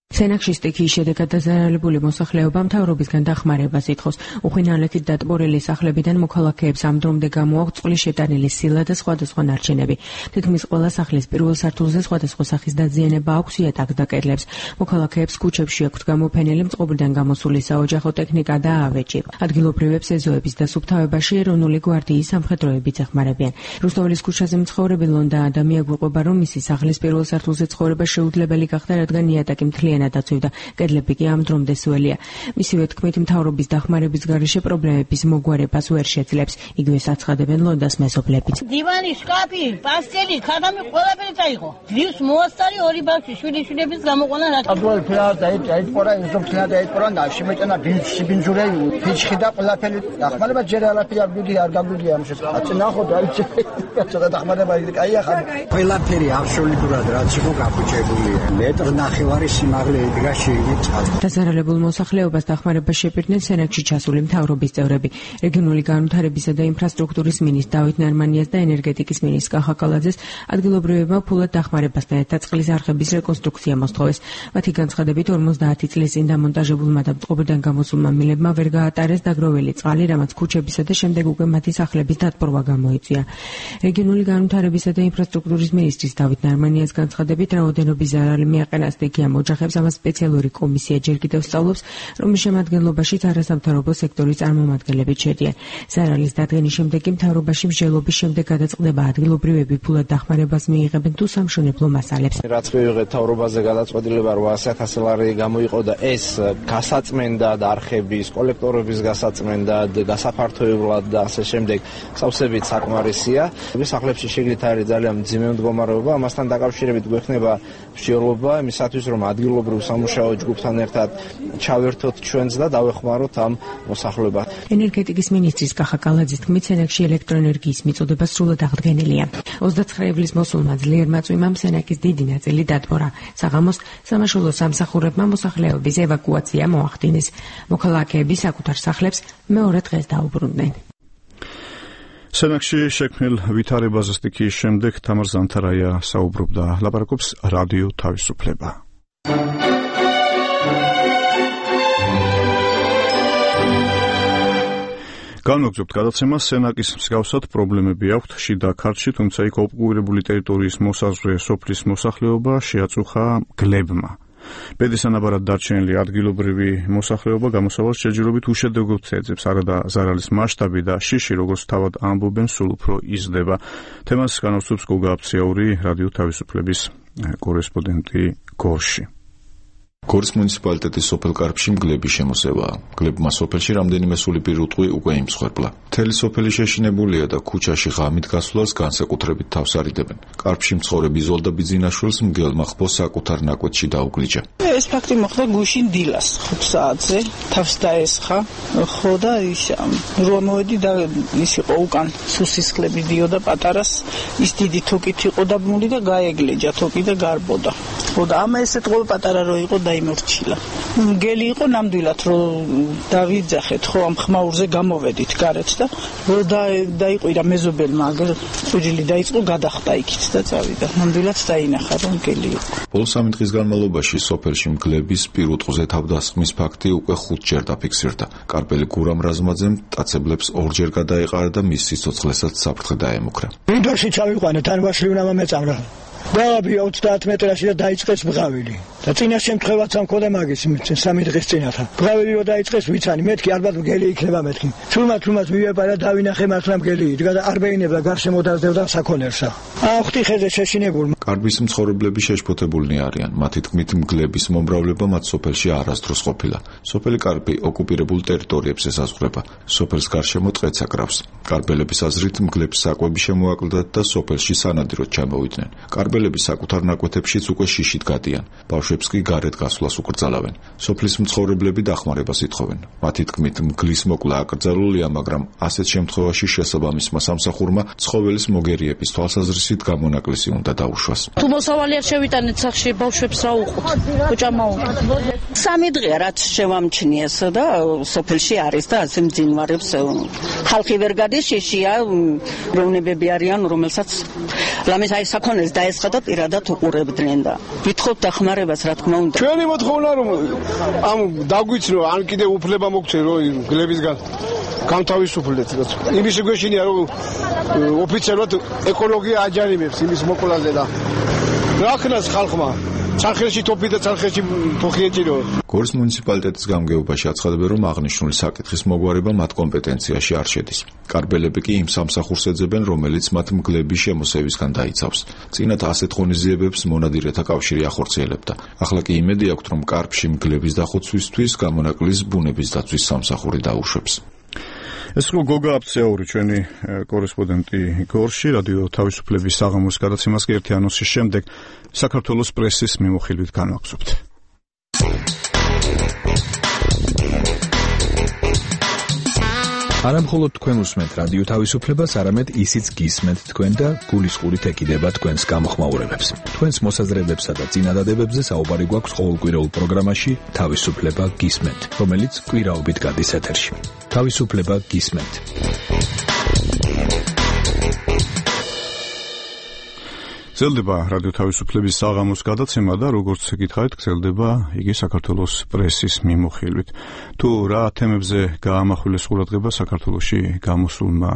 სენაკში სტიქიის შედეგად დაზარალებული მოსახლეობა მთავრობისგან დახმარებას ითხოვს. უხვინალეთით დატბორილი სახლებიდან მოქალაქეებს ამ დრომდე გამოაქვთ წყლის შეტანილი სილა და სხვადასხვა ნარჩენები. თითქმის ყველა სახლის პირველ სართულზე სხვადასხვა სახის დაზიანება აქვს იატაკს და კედლებს. მოქალაქეებს ქუჩებში აქვთ გამოფენილი მწყობრიდან გამოსული საოჯახო ტექნიკა და ავეჯი. ადგილობრივებს ეზოების დასუფთავებაში ეროვნული გვარდიის სამხედროებიც ეხმარებიან. რუსთაველის ქუჩაზე მცხოვრები ლონდა ადამია გვიყვება, რომ მისი სახლის პირველ სართულზე ცხოვრება შეუძლებელი გახდა, რადგან იატაკი მთლიანად დაცვიდა, კედლები კი ამ დრომდე სველია. მისივე თქმით, მთავრობის დახმარების გარეშე პრობლემების მოგვარებას ვერ შეძლებს. იგივე საცხადებენ ლონდას მეზობლებიც. დივანი, შკაფი, პასტელი, ქაღამი ყველაფერი წაიღო. ძლივს მოასწარი ორი ბავშვი, შვილი-შვილების გამოყვანა რა. აბდულ ფლად დაიწყორა, ისო ფლად დაიწყორა და შემეჭანა ბინძური, ფიჩხი და ყველაფერი. დახმარება ჯერ არაფერი არ გვიდი, არ გაგვიდია ამ შესაძლებლად. აწ ნახო დაიჭე. ცოტა დახმარება იგი კაია ხარ. ყველაფერი აბსოლუტურად რაც იყო გაფუჭებულია. მეტრ ნახევარი სიმაღლე დაზარალებულ მოსახლეობას დახმარებას შეპირდნენ სენაკში ჩასული მთავრობის წევრები. რეგიონული განვითარებისა და ინფრასტრუქტურის მინისტრ დავით ნარმანიას და ენერგეტიკის მინისტრ კახა კალაძეს ადგილობრივებმა ფულად დახმარებასთან ერთად წყლის არხების რეკონსტრუქცია მოსთხოვეს. მათი განცხადებით ორმოცდაათი წლის წინ დამონტაჟებულმა და მწყობრიდან გამოსულმა მილებმა ვერ გაატარეს დაგროვილი წყალი, რამაც ქუჩებისა და შემდეგ უკვე მათი სახლების დატბორვა გამოიწვია. რეგიონული განვითარებისა და ინფრასტრუქტურის მინისტრის დავით ნარმანიას განცხადებით, რაოდენობის ზარალი მიაყენა სტიქიამ ოჯახებს. ამას სპეციალური კომისია ჯერ კიდევ სწავლობს, რომლის შემადგენლობაშიც არასამთავრობო სექტორის წარმომადგენლები შედიან. ზარალის დადგენის შემდეგ კი მთავრობაში მსჯელობის შემდეგ გადაწყდება ადგილობრივები ფულად დახმარებას მიიღებენ თუ სამშენებლო მასალებს. რაც მივიღეთ მთავრობაზე გადაწყვეტილება რვაასი ათასი ლარი გამოიყო და ეს გასაწმენდად არხების, კოლექტორების გასაწმენდად, გასაფართოებლად და ასე შემდეგ სავსებით საკმარისია. სახლებში შეგლით არის ძალიან მძიმე მდგომარეობა, ამასთან დაკავშირებით გვექნება მსჯელობა იმისათვის, რომ ადგილობრივ სამუშაო ჯგუფთან ერთად ჩავერთოთ ჩვენს და დავეხმაროთ ამ მოსახლეობას. ენერგეტიკის მინისტრის კახა კალაძის თქმით, სენაკში ელექტროენერგიის მიწოდება სრულად აღდგენილია. ოცდაცხრე ივლის მოსულმა ძლიერმა წვიმამ სენაკის დიდი ნაწილი დატბორა. საღამოს სამაშველო სამსახურებმა მოსახლეობის ევაკუაცია მოახდინეს. მოქალაქეები საკუთარ სახლებს მეორე დღეს დაუბრუნდნენ. სენაკში შექმნილ ვითარებაზე სტიქიის შემდეგ თამარ ზანთარაია საუბრობდა. ლაპარაკობს რადიო თავისუფლება. განვაგრძობთ გადაცემას. სენაკის მსგავსად პრობლემები აქვთ შიდა ქართლში, თუმცა იქ ოკუპირებული ტერიტორიის მოსაზღვრე სოფლის მოსახლეობა შეაწუხა გლებმა. ბედის ანაბარად დარჩენილი ადგილობრივი მოსახლეობა გამოსავალს შეჯიბრობით უშედეგოდ ეძებს. არადა ზარალის მასშტაბი და შიში, როგორც თავად ამბობენ, სულ უფრო იზრდება. თემას განავსებს გოგა აფციური, რადიო თავისუფლების კორესპონდენტი გორში. გორის მუნიციპალიტეტის სოფელ კარფში მგლების შემოსევაა. გლებმა სოფელში რამდენიმე სული პირუტყვი უკვე იმსხვერპლა. მთელი სოფელი შეშინებულია და ქუჩაში ღამით გასვლას განსაკუთრებით თავს არიდებენ. კარფში მცხოვრებ იზოლდა ბიძინაშვილს მგელმა ხბოს საკუთარ ნაკვეთში დაუგლიჯა. ეს ფაქტი მოხდა გუშინ დილას ხუთ საათზე, თავს დაესხა, ხო და ის რო მოვედი და ის იყო უკან სუსისხლები დიოდა პატარას, ის დიდი თოკით იყო დაბმული და გაეგლეჯა თოკი და გარბოდა. ხო და ამა ესეთ ყოლ პატარა რო იყო დაიმორჩილა. მგელი იყო ნამდვილად რომ დავიძახეთ, ხო ამ ხმაურზე გამოვედით გარეთ და რო დაიყვირა მეზობელმა, აგერ წუჯილი დაიწყო, გადახტა იქით და წავიდა. ნამდვილად დაინახა რომ მგელი იყო. ბოლო სამი დღის განმავლობაში სოფელში მგლების პირუტყვზე თავდასხმის ფაქტი უკვე ხუთჯერ დაფიქსირდა. კარპელი გურამ რაზმაძემ მტაცებლებს ორჯერ გადაეყარა და მის სიცოცხლესაც საფრთხე დაემუქრა. მინდორში ჩავიყვანე, თან ვაშლი უნდა მომეწამრა. დავაბია ოცდაათ მეტრაში და დაიწყეს ბღავილი. და წინა შემთხვევაც ამ ქოდა მაგის სამი დღის წინათა. ბრაველიო დაიწყეს ვიცანი, მეთქი ალბათ მგელი იქნება მეთქი. თულმა თულმაც მივეპარა დავინახე მართლა მგელი იდგა და არ ბეინებდა გარშემო დაძევდა საქონელსა. აა ხვთი ხეზე შეშინებულ. კარბის მცხოვრებლები შეშფოთებულნი არიან. მათი თქმით მგლების მომრავლება მათ სოფელში არასდროს ყოფილა. სოფელი კარბი ოკუპირებულ ტერიტორიებს ესაზღვრება. სოფელს გარშემო ტყეც აკრავს. კარბელების აზრით მგლებს საკვები შემოაკლდათ და სოფელში სანადიროდ ჩამოვიდნენ. კარბელები საკუთარ ნაკვეთებშიც უკვე შიშით გადიან. ბავშვებს კი გარეთ გასვლას უკრძალავენ. სოფლის მცხოვრებლები დახმარებას ითხოვენ. მათი თქმით მგლის მოკლა აკრძალულია, მაგრამ ასეთ შემთხვევაში შესაბამისმა სამსახურმა ცხოველის მოგერიების თვალსაზრისით გამონაკლისი უნდა დაუშვას. თუ მოსავალი არ შევიტანეთ სახში ბავშვებს რა უყოთ? კოჭამა უყოთ. სამი დღეა რაც შევამჩნიეს და სოფელში არის და ასე მძინვარებს ხალხი ვერ გადის, შეშია როვნებები არიან, რომელსაც ლამის აი საქონელს დაესხა და პირადად უყურებდნენ და ვითხოვთ დახმარებას რა თქმა უნდა. ჩვენი მოთხოვნა რომ ამ დაგვიცნო, ან კიდე უფლება მოგცე რომ გლებისგან გამთავისუფლდეთ. იმის გვეშინია რომ ოფიციალურად ეკოლოგია აჯანიმებს იმის მოკვლაზე და რა ქნას ხალხმა ცარხელში თოფი და ცარხელში თოხი ეჭირო. გორის მუნიციპალიტეტის გამგეობაში აცხადებენ, რომ აღნიშნული საკითხის მოგვარება მათ კომპეტენციაში არ შედის. კარბელები კი იმ სამსახურს ეძებენ, რომელიც მათ მგლების შემოსევისგან დაიცავს. წინათ ასეთ ღონისძიებებს მონადირეთა კავშირი ახორციელებდა. ახლა კი იმედი აქვთ, რომ კარბში მგლების დახოცვისთვის გამონაკლის ბუნების დაცვის სამსახური დაუშვებს. ეს რო გოგა აფცეური ჩვენი კორესპონდენტი გორში რადიო თავისუფლების საღამოს გადაცემას კი ერთი ანონსის შემდეგ საქართველოს პრესის მიმოხილვით განვაგზავნებთ. არა მხოლოდ თქვენ უსმენთ რადიო თავისუფლებას, არამედ ისიც გისმენთ თქვენ და გულისყურით ეკიდება თქვენს გამოხმაურებებს. თქვენს მოსაზრებებსა და წინადადებებზე საუბარი გვაქვს ყოველკვირეულ პროგრამაში თავისუფლება გისმენთ, რომელიც კვირაობით გადის ეთერში. თავისუფლება გისმენთ. გრძელდება რადიო თავისუფლების საღამოს გადაცემა და როგორც გითხარით, გრძელდება იგი საქართველოს პრესის მიმოხილვით. თუ რა თემებზე გაამახვილეს ყურადღება საქართველოში გამოსულმა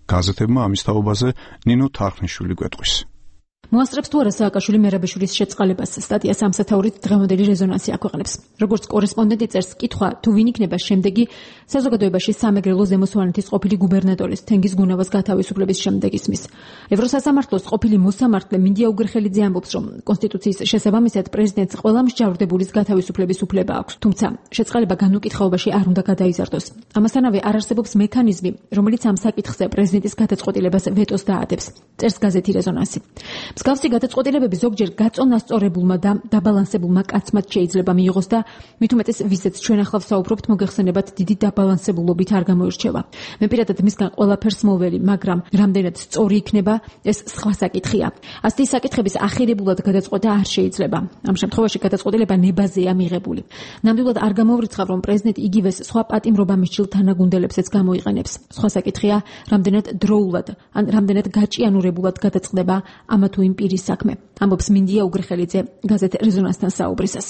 გაზეთებმა, ამის თაობაზე ნინო თარხნიშვილი გვეტყვის. მოასწრებს თუ არა სააკაშვილი მერაბეშვილის შეწყალებას, სტატიას ამ სათაურით დღევანდელი რეზონანსი აქვეყნებს. როგორც კორესპონდენტი წერს, კითხვა თუ ვინ იქნება შემდეგი საზოგადოებაში სამეგრელო ზემო სვანეთის ყოფილი გუბერნატორის თენგიზ გუნავას გათავისუფლების შემდეგ ისმის. ევროსასამართლოს ყოფილი მოსამართლე მინდია უგრხელიძე ამბობს, რომ კონსტიტუციის შესაბამისად პრეზიდენტს ყველა მსჯავრდებულის გათავისუფლების უფლება აქვს, თუმცა შეწყალება განუკითხაობაში არ უნდა გადაიზარდოს. ამასთანავე არ არსებობს მექანიზმი, რომელიც ამ საკითხზე პრეზიდენტის გადაწყვეტილებას ვეტოს დაადებს. წერს გაზეთი რეზონანსი. მსგავსი გადაწყვეტილებები ზოგჯერ გაწონასწორებულმა და დაბალანსებულმა კაცმაც შეიძლება მიიღოს და მით უმეტეს ვიზეც ჩვენ ახლა ვსაუბრობთ, მოგეხსენებათ დიდი დაბალანსებულობით არ გამოირჩევა. მე პირადად მისგან ყველაფერს მოველი, მაგრამ რამდენად სწორი იქნება, ეს სხვა საკითხია. ასეთი საკითხების ახირებულად გადაწყვეტა არ შეიძლება. ამ შემთხვევაში გადაწყვეტილება ნებაზეა მიღებული. ნამდვილად არ გამოვრიცხავ, რომ პრეზიდენტი იგივეს სხვა პატიმრობამისჯილ თანაგუნდელებსაც გამოიყენებს. სხვა საკითხია, რამდენად დროულად ან რამდენად გაჭიანურებულად გადაწყდება ამა თუ იმ პირის საქმე. ამბობს მინდია უგრხელიძე გაზეთ რეზონანსთან საუბრისას.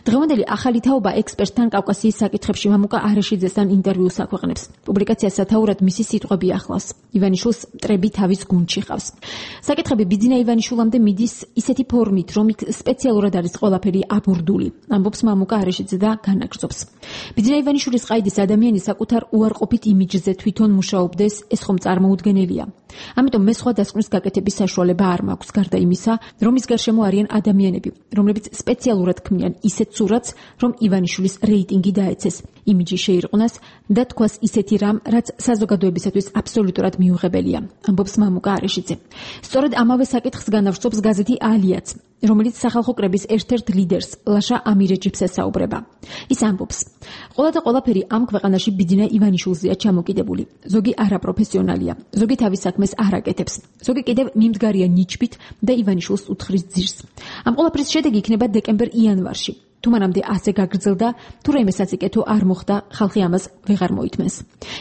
დღევანდელი ახალი თაობა ექსპერტთან კავკასიის საკითხებში მამუკა არეშიძესთან ინტერვიუს აქვეყნებს. პუბლიკაციას სათაურად მისი სიტყვები ახლავს. ივანიშვილს მტრები თავის გუნდში ყავს. საკითხები ბიძინა ივანიშვილამდე მიდის ისეთი ფორმით, რომ იქ სპეციალურად არის ყველაფერი აბურდული. ამბობს მამუკა არეშიძე და განაგრძობს. ბიძინა ივანიშვილის ყაიდის ადამიანი საკუთარ უარყოფით იმიჯზე თვითონ მუშაობდეს, ეს ხომ წარმოუდგენელია. ამიტომ მე სხვა დასკვნის გაკეთების საშუალება არ მაქვს, გარდა იმისა, რომ ის გარშემო არიან ადამიანები, რომლებიც სპეციალურად ქმნიან ისეთ სურათს, რომ ივანიშვილის რეიტინგი დაეცეს, იმიჯი შეირყვნას და თქვას ისეთი რამ, რაც საზოგადოებისათვის აბსოლუტურად მიუღებელია, ამბობს მამუკა არეშიძე. სწორედ ამავე საკითხს განავრცობს გაზეთი ალიაც, რომელიც სახალხო კრების ერთ-ერთ ლიდერს, ლაშა ამირეჯიბს ესაუბრება. ის ამბობს: ყველა და ყველაფერი ამ ქვეყანაში ბიძინა ივანიშვილზეა ჩამოკიდებული. ზოგი არაპროფესიონალია, ზოგი თავის საქმეს არ აკეთებს, ზოგი კიდევ მიმდგარია ნიჩბით და ივანიშვილს უთხრის ძირს. ამ ყველაფრის შედეგი იქნება დეკემბერ-იანვარში. თუ მანამდე ასე გაგრძელდა, თუ რაიმე საწიკეთო არ მოხდა, ხალხი ამას ვეღარ მოითმენს.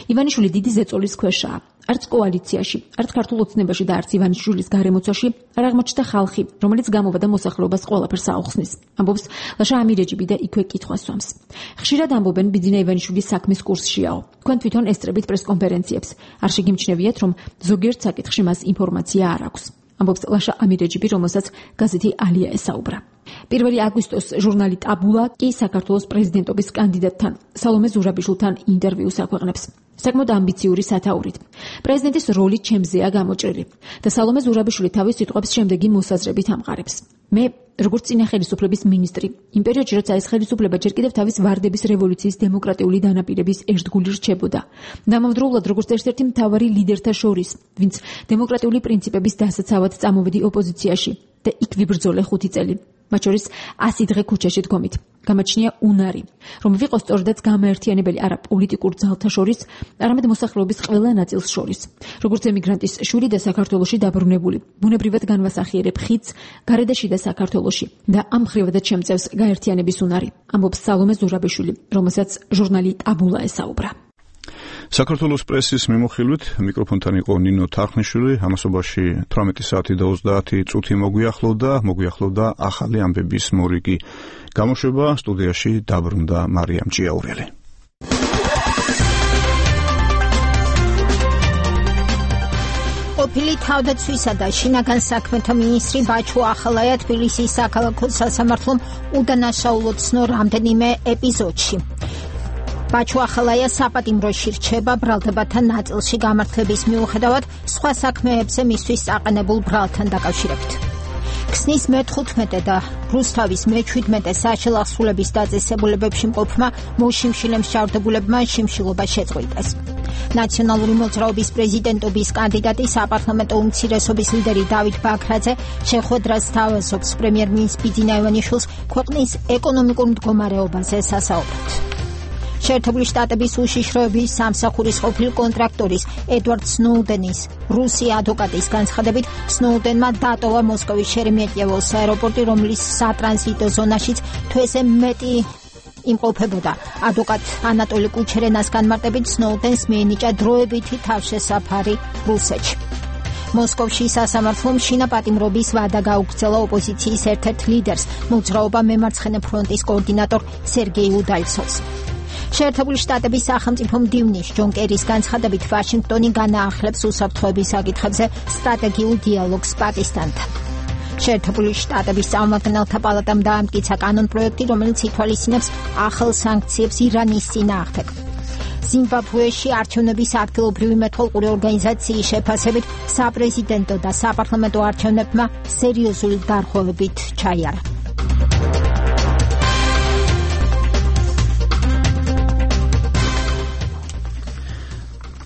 ივანიშვილი დიდი ზეწოლის ქვეშაა. არც კოალიციაში, არც ქართულ ოცნებაში და არც ივანიშვილის გარემოცვაში არ აღმოჩნდა ხალხი, რომელიც გამოვადა მოსახლეობას ყველაფერს აუხსნის. ამბობს ლაშა ამირეჯიბი და იქვე კითხვას სვამს. ხშირად ამბობენ ბიძინა ივანიშვილის საქმის კურსშიაო. თქვენ თვითონ ესწრებით პრესკონფერენციებს. არ შეგიმჩნევიათ, რომ ზოგიერთ საკითხში მას ინფორმაცია არ აქვს. ამბობს ლაშა ამირეჯიბი, რომელსაც გაზეთი ალია ესაუბრა. პირველი აგვისტოს ჟურნალი ტაბულა კი საქართველოს პრეზიდენტობის კანდიდატთან სალომე ზურაბიშვილთან ინტერვიუს აქვეყნებს. საკმაოდ ამბიციური სათაურით. პრეზიდენტის როლი ჩემზეა გამოჭრილი და სალომე ზურაბიშვილი თავის სიტყვებს შემდეგი მოსაზრებით ამყარებს. მე როგორც წინა ხელისუფლების მინისტრი, იმ პერიოდში, როცა ეს ხელისუფლება ჯერ კიდევ თავის ვარდების რევოლუციის დემოკრატიული დანაპირების ერთგული რჩებოდა. დამამძროულად როგორც ერთ-ერთი მთავარი ლიდერთა შორის, ვინც დემოკრატიული პრინციპების დასაცავად წამოვედი ოპოზიციაში და იქ ვიბრძოლე ხუთი წელი. მათ შორის ასი დღე ქუჩაში დგომით. გამოჩნია უნარი, რომ ვიყოს სწორედაც გამაერთიანებელი არა პოლიტიკურ ძალთა შორის, არამედ მოსახლეობის ყველა ნაწილს შორის. როგორც ემიგრანტის შვილი და საქართველოში დაბრუნებული, ბუნებრივად განვასახიერებ ხიდს გარე და შიდა საქართველოში და ამ მხრივადაც შემწევს გაერთიანების უნარი, ამბობს სალომე ზურაბიშვილი, რომელსაც ჟურნალი ტაბულა ესაუბრა. საქართველოს პრესის მიმოხილვით მიკროფონთან იყო ნინო თარხნიშვილი, ამასობაში თვრამეტი საათი და ოცდაათი წუთი მოგვიახლოვდა, მოგვიახლოვდა ახალი ამბების მორიგი. გამოშვება სტუდიაში დაბრუნდა მარიამ ჭიაურელი. ყოფილი თავდაცვისა და შინაგან საქმეთა მინისტრი ბაჩუ ახალაია თბილისის საქალაქო სასამართლომ უდანაშაულოდ ცნო რამდენიმე ეპიზოდში. ბაჩუ ახალაია საპატიმროში რჩება ბრალდებათა ნაწილში გამართლების მიუხედავად სხვა საქმეებზე მისთვის აყენებულ ბრალთან დაკავშირებით. ქსნის მეთხუთმეტე და რუსთავის მეჩვიდმეტე საშელახსრულების დაწესებულებებში მყოფმა მოშიმშილე მსჯავრდებულებმა შიმშილობა შეწყვიტეს. ნაციონალური მოძრაობის პრეზიდენტობის კანდიდატი საპარლამენტო უმცირესობის ლიდერი დავით ბაქრაძე შეხვედრას სთავაზობს პრემიერ-მინისტრ ბიძინა ივანიშვილს ქვეყნის ეკონომიკურ მდგომარეობაზე სასაუბრად. შეერთებული შტატების უშიშროების სამსახურის ყოფილ კონტრაქტორის ედვარდ სნოუდენის რუსი ადვოკატის განცხადებით სნოუდენმა დატოვა მოსკოვის შერემეტიევოს აეროპორტი, რომლის სატრანზიტო ზონაშიც თვეზე მეტი იმყოფებოდა. ადვოკატ ანატოლი კუჩერენას განმარტებით სნოუდენს მიენიჭა დროებითი თავშესაფარი რუსეთში. მოსკოვში სასამართლომ შინა პატიმრობის ვადა გაუგრძელა ოპოზიციის ერთ-ერთ ლიდერს, მოძრაობა მემარცხენე ფრონტის კოორდინატორ სერგეი უდალცოვს. შეერთებული შტატების სახელმწიფო მდივნის ჯონ კერის განცხადებით ვაშინგტონი განაახლებს უსაფრთხოების საკითხებზე სტრატეგიულ დიალოგს პაკისტანთან. შეერთებული შტატების წარმომადგენელთა პალატამ დაამტკიცა კანონპროექტი, რომელიც ითვალისწინებს ახალ სანქციებს ირანის წინააღმდეგ. ზიმბაბვეში არჩევნების ადგილობრივი მეთვალყური ორგანიზაციის შეფასებით საპრეზიდენტო და საპარლამენტო არჩევნებმა სერიოზული დარღვევებით ჩაიარა.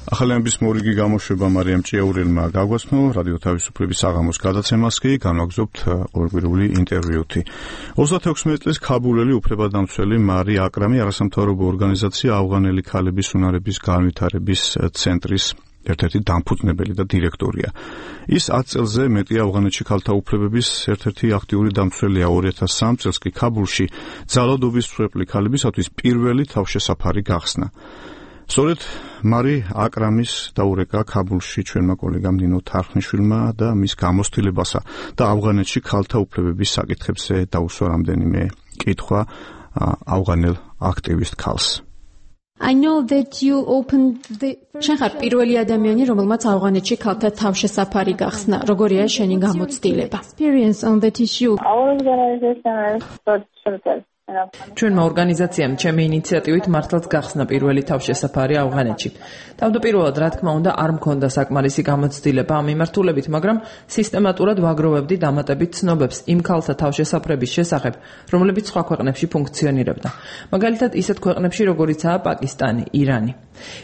ახალი ამბების მორიგი გამოშვება მარიამ ჭიაურელმა გაგვაცნო, რადიო თავისუფლების საღამოს გადაცემას კი განვაგრძობთ ყოველკვირეული ინტერვიუთი. ოცდათექვსმეტ წლის ქაბულელი უფლებადამცველი მარი აკრამი არასამთავრობო ორგანიზაცია ავღანელი ქალების უნარების განვითარების ცენტრის ერთ-ერთი დამფუძნებელი და დირექტორია. ის ათ წელზე მეტი ავღანეთში ქალთა უფლებების ერთ-ერთი აქტიური დამცველია. ორი ათას სამ წელს კი ქაბულში ძალადობის მსხვერპლი ქალებისათვის პირველი თავშესაფარი გახსნა. სწორედ მარი აკრამის დაურეკა ქაბულში ჩვენმა კოლეგამ ნინო თარხნიშვილმა და მის გამოცდილებასა და ავღანეთში ქალთა უფლებების საკითხებზე დაუსვა რამდენიმე კითხვა ავღანელ აქტივისტ ქალს. I know that you opened the შენ ხარ პირველი ადამიანი, რომელმაც ავღანეთში ქალთა თავშესაფარი გახსნა. როგორია შენი გამოცდილება? Experience on that issue. ჩვენმა ორგანიზაციამ ჩემი ინიციატივით მართლაც გახსნა პირველი თავშესაფარი ავღანეთში. თავდაპირველად, რა თქმა უნდა, არ მქონდა საკმარისი გამოცდილება ამ მიმართულებით, მაგრამ სისტემატურად ვაგროვებდი დამატებით ცნობებს იმ ქალთა თავშესაფრების შესახებ, რომლებიც სხვა ქვეყნებში ფუნქციონირებდა. მაგალითად, ისეთ ქვეყნებში, როგორიცაა პაკისტანი, ირანი.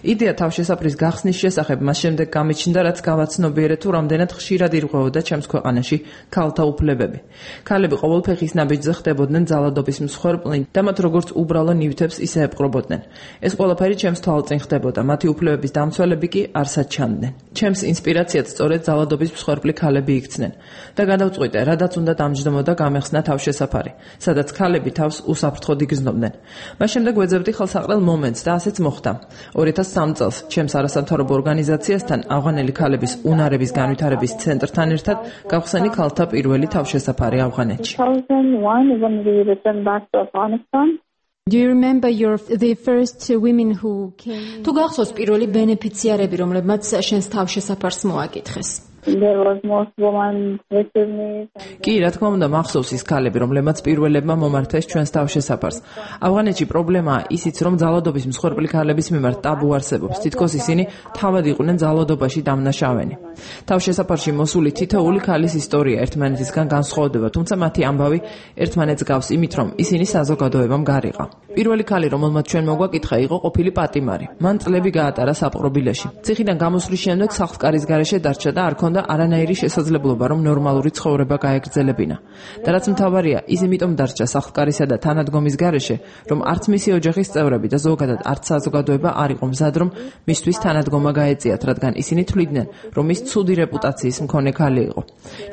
იდეა თავშესაფრის გახსნის შესახებ მას შემდეგ გამიჩნდა, რაც გავაცნობიერე თუ რამდენად ხშირად ირღვეოდა ჩემს ქვეყანაში ქალთა უფლებები. ქალები ყოველ ფეხის ნაბიჯზე ხდებოდნენ ძალადობის მსხვერპლნი და მათ როგორც უბრალო ნივთებს ისე ეპყრობოდნენ. ეს ყველაფერი ჩემს თვალწინ ხდებოდა, მათი უფლებების დამცველები კი არსად ჩანდნენ. ჩემს ინსპირაციად სწორედ ძალადობის მსხვერპლი ქალები იქცნენ და გადავწყვიტე, რადაც უნდა დამჯდომოდა გამეხსნა თავშესაფარი, სადაც ქალები თავს უსაფრთხოდ იგრძნობდნენ. მას შემდეგ ვეძებდი ხელსაყრელ მომენტს და ასეც მოხდა. ორი ათას სამ წელს ჩემს არასამთავრობო ორგანიზაციასთან ავღანელი ქალების უნარების განვითარების ცენტრთან ერთად გავხსენი ქალთა პირველი თავშესაფარი ავღანეთში. Do you remember your the first women who came? თუ გახსოვს პირველი ბენეფიციარები, რომლებმაც შენს თავშესაფარს მოაკითხეს? There was most women with me. კი, რა თქმა უნდა, მახსოვს ის ქალები, რომლებმაც პირველებმა მომართეს ჩვენს თავშესაფარს. ავღანეთში პრობლემაა ისიც, რომ ძალადობის მსხვერპლი ქალების მიმართ ტაბუ არსებობს. თითქოს ისინი თავად იყვნენ ძალადობაში დამნაშავენი. თავშესაფარში მოსული თითოეული ქალის ისტორია ერთმანეთისგან განსხვავდება, თუმცა მათი ამბავი ერთმანეთს გავს იმით, რომ ისინი საზოგადოებამ გარიყა. პირველი ქალი, რომელმაც ჩვენ მოგვაკითხა, იყო ყოფილი პატიმარი. მან წლები გაატარა საპყრობილეში. ციხიდან გამოსვლის შემდეგ სახლკარის გარეშე დარჩა და არ ჰქონდა არანაირი შესაძლებლობა, რომ ნორმალური ცხოვრება გაეგრძელებინა. და რაც მთავარია, ის იმიტომ დარჩა სახლკარისა და თანადგომის გარეშე, რომ არც მისი ოჯახის წევრები და ზოგადად არც საზოგადოება არ იყო მზად, რომ მისთვის თანადგომა გაეწიათ, რადგან ისინი თვლიდნენ, რომ ის ცუდი რეპუტაციის მქონე ქალი იყო.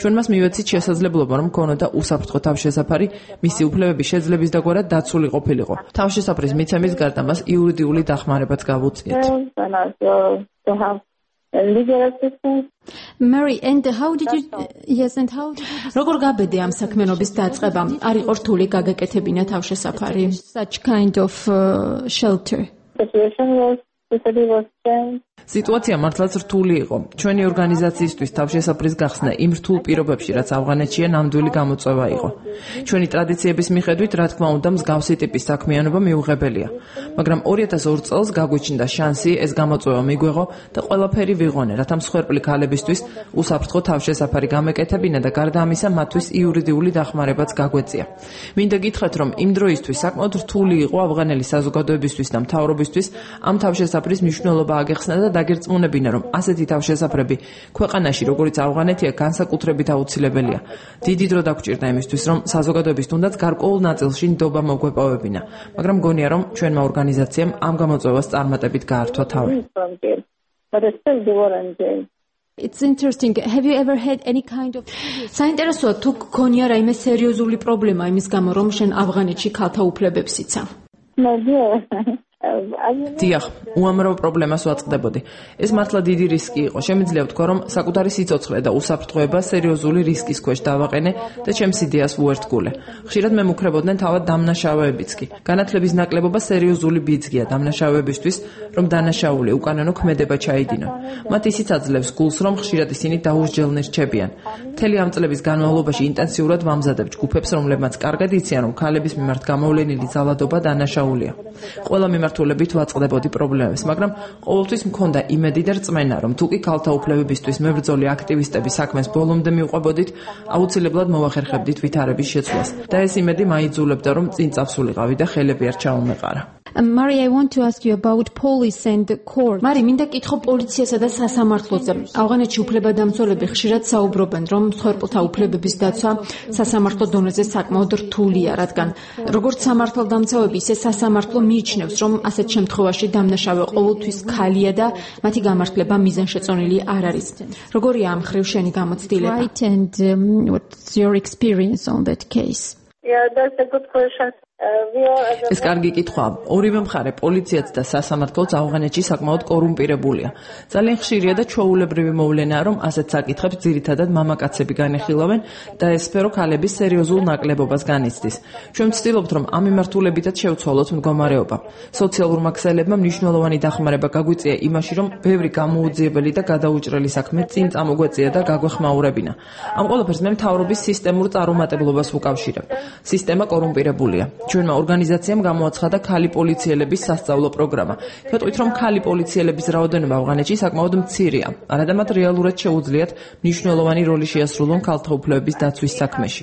ჩვენ მას მივეცით შესაძლებლობა, რომ ჰქონოდა უსაფრთხო თავშესაფარი, მისი უფლებები შეძლების დაგვარად დაცული ყოფილიყო. თავშესაფრის მიცემის გარდა მას იურიდიული დახმარებაც გავუწიეთ. Mary, and how did you yes and how did you როგორ გაბედე ამ საქმიანობის დაწყება? არ იყო რთული გაგეკეთებინა თავშესაფარი? Such kind of uh, shelter. Situation was the city was changed. სიტუაცია მართლაც რთული იყო. ჩვენი ორგანიზაციისთვის თავშესაფრის გახსნა იმ რთულ პირობებში, რაც ავღანეთშია, ნამდვილი გამოწვევა იყო. ჩვენი ტრადიციების მიხედვით, რა თქმა უნდა, მსგავსი ტიპის საქმიანობა მიუღებელია. მაგრამ ორი ათას ორ წელს გაგვიჩნდა შანსი ეს გამოწვევა მიგვეღო და ყველაფერი ვიღონე, რათა მსხვერპლი ქალებისთვის უსაფრთხო თავშესაფარი გამეკეთებინა და გარდა ამისა მათთვის იურიდიული დახმარებაც გაგვეწია. მინდა გითხრათ, რომ იმ დროისთვის საკმაოდ რთული იყო ავღანელი საზოგადოებისთვის და მთავრობისთვის ამ თავშესაფრის მნიშვნელობა აგეხსნა და დაგერწმუნებინა, რომ ასეთი თავშესაფრები ქვეყანაში, როგორც ავღანეთია, განსაკუთრებით აუცილებელია. დიდი დრო დაგჭირდა იმისთვის, რომ საზოგადოების თუნდაც გარკვეულ ნაწილში ნდობა მოგვეპოვებინა, მაგრამ მგონია, რომ ჩვენმა ორგანიზაციამ ამ გამოწვევას წარმატებით გაართვა თავი. It's interesting. Have you ever had any kind of საინტერესოა თუ გქონია რაიმე სერიოზული პრობლემა იმის გამო, რომ შენ ავღანეთში ქალთა უფლებებს იცავ? დიახ, უამრავ პრობლემას ვაწყდებოდი. ეს მართლა დიდი რისკი იყო. შემიძლია ვთქვა, რომ საკუთარი სიცოცხლე და უსაფრთხოება სერიოზული რისკის ქვეშ დავაყენე და ჩემს იდეას ვუერთგულე. ხშირად მე მუქრებოდნენ თავად დამნაშავეებიც კი. განათლების ნაკლებობა სერიოზული ბიძგია დამნაშავეებისთვის, რომ დანაშაული უკანონო ქმედება ჩაიდინონ. მათ ისიც აძლევს გულს, რომ ხშირად ისინი დაუსჯელნი რჩებიან. მთელი ამ წლების განმავლობაში ინტენსიურად ვამზადებ ჯგუფებს, რომლებმაც კარგად იციან, რომ ქალების მიმართ გამოვლენილი ძალადობა დანაშაულია. ყველა მიმართულებით ვაწყდებოდი პრობლემებს, მაგრამ ყოველთვის მქონდა იმედი და რწმენა, რომ თუ კი ქალთა უფლებებისთვის მებრძოლი აქტივისტების საქმეს ბოლომდე მივყვებოდით, აუცილებლად მოვახერხებდით ვითარების შეცვლას. და ეს იმედი მაიძულებდა, რომ წინ წავსულიყავი და ხელები არ ჩაუმეყარა. Mary, I want to ask you about police and the court. Mary, მინდა კითხო პოლიციასა და სასამართლოზე. ავღანეთში უფლებადამცველები ხშირად საუბრობენ, რომ მსხვერპლთა უფლებების დაცვა სასამართლო დონეზე საკმაოდ რთულია, რადგან როგორც სამართალდამცავები, ისე სასამართლო მიიჩნევს, რომ ასეთ შემთხვევაში დამნაშავე ყოველთვის ქალია და მათი გამართლება მიზანშეწონილი არ არის. როგორია ამ ხრივ შენი გამოცდილება? Right, and um, what's your experience on that case? Yeah, that's a good question. ეს კარგი კითხვაა. ორივე მხარე, პოლიციაც და სასამართლოც ავღანეთში საკმაოდ კორუმპირებულია. ძალიან ხშირია და ჩვეულებრივი მოვლენაა, რომ ასეთ საკითხებს ძირითადად მამაკაცები განეხილავენ და ეს სფერო ქალების სერიოზულ ნაკლებობას განიცდის. ჩვენ ვცდილობთ, რომ ამ მიმართულებითაც შევცვალოთ მდგომარეობა. სოციალურმა ქსელებმა მნიშვნელოვანი დახმარება გაგვიწია იმაში, რომ ბევრი გამოუძიებელი და გადაუჭრელი საქმე წინ წამოგვეწია და გაგვეხმაურებინა. ამ ყველაფერს მე მთავრობის სისტემურ წარუმატებლობას ვუკავშირებ. სისტემა კორუმპირებულია. ჩვენმა ორგანიზაციამ გამოაცხადა ქალი პოლიციელების სასწავლო პროგრამა. ვეტყვით, რომ ქალი პოლიციელების რაოდენობა ავღანეთში საკმაოდ მცირეა. არადა მათ რეალურად შეუძლიათ მნიშვნელოვანი როლი შეასრულონ ქალთა უფლებების დაცვის საქმეში.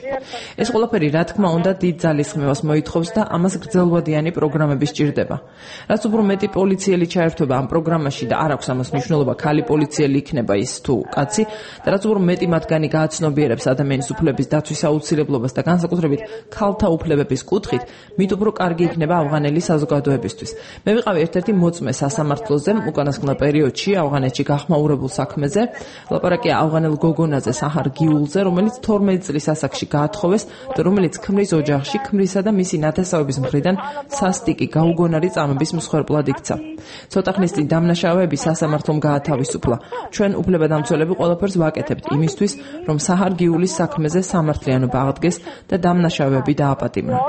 ეს ყველაფერი, რა თქმა უნდა, დიდ ძალისხმევას მოითხოვს და ამას გრძელვადიანი პროგრამები სჭირდება. რაც უფრო მეტი პოლიციელი ჩაერთვება ამ პროგრამაში და არ აქვს ამას მნიშვნელობა, ქალი პოლიციელი იქნება ის თუ კაცი, და რაც უფრო მეტი მათგანი გააცნობიერებს ადამიანის უფლების დაცვის აუცილებლობას და განსაკუთრებით ქალთა უფლებების კუთხით, მით უფრო კარგი იქნება ავღანელი საზოგადოებისთვის. მე ვიყავი ერთ-ერთი მოწმე სასამართლოზე უკანასკნელ პერიოდში ავღანეთში გახმაურებულ საქმეზე. ლაპარაკია ავღანელ გოგონაზე, საჰარ გიულზე, რომელიც თორმეტ წლის ასაკში გაათხოვეს და რომელიც ქმრის ოჯახში ქმრისა და მისი ნათესავების მხრიდან სასტიკი გაუგონარი წამების მსხვერპლად იქცა. ცოტა ხნის წინ დამნაშავეები სასამართლომ გაათავისუფლა. ჩვენ უფლებადამცველები ყველაფერს ვაკეთებთ იმისთვის, რომ საჰარ გიულის საქმეზე სამართლიანობა აღდგეს და დამნაშავეები დააპატიმრონ.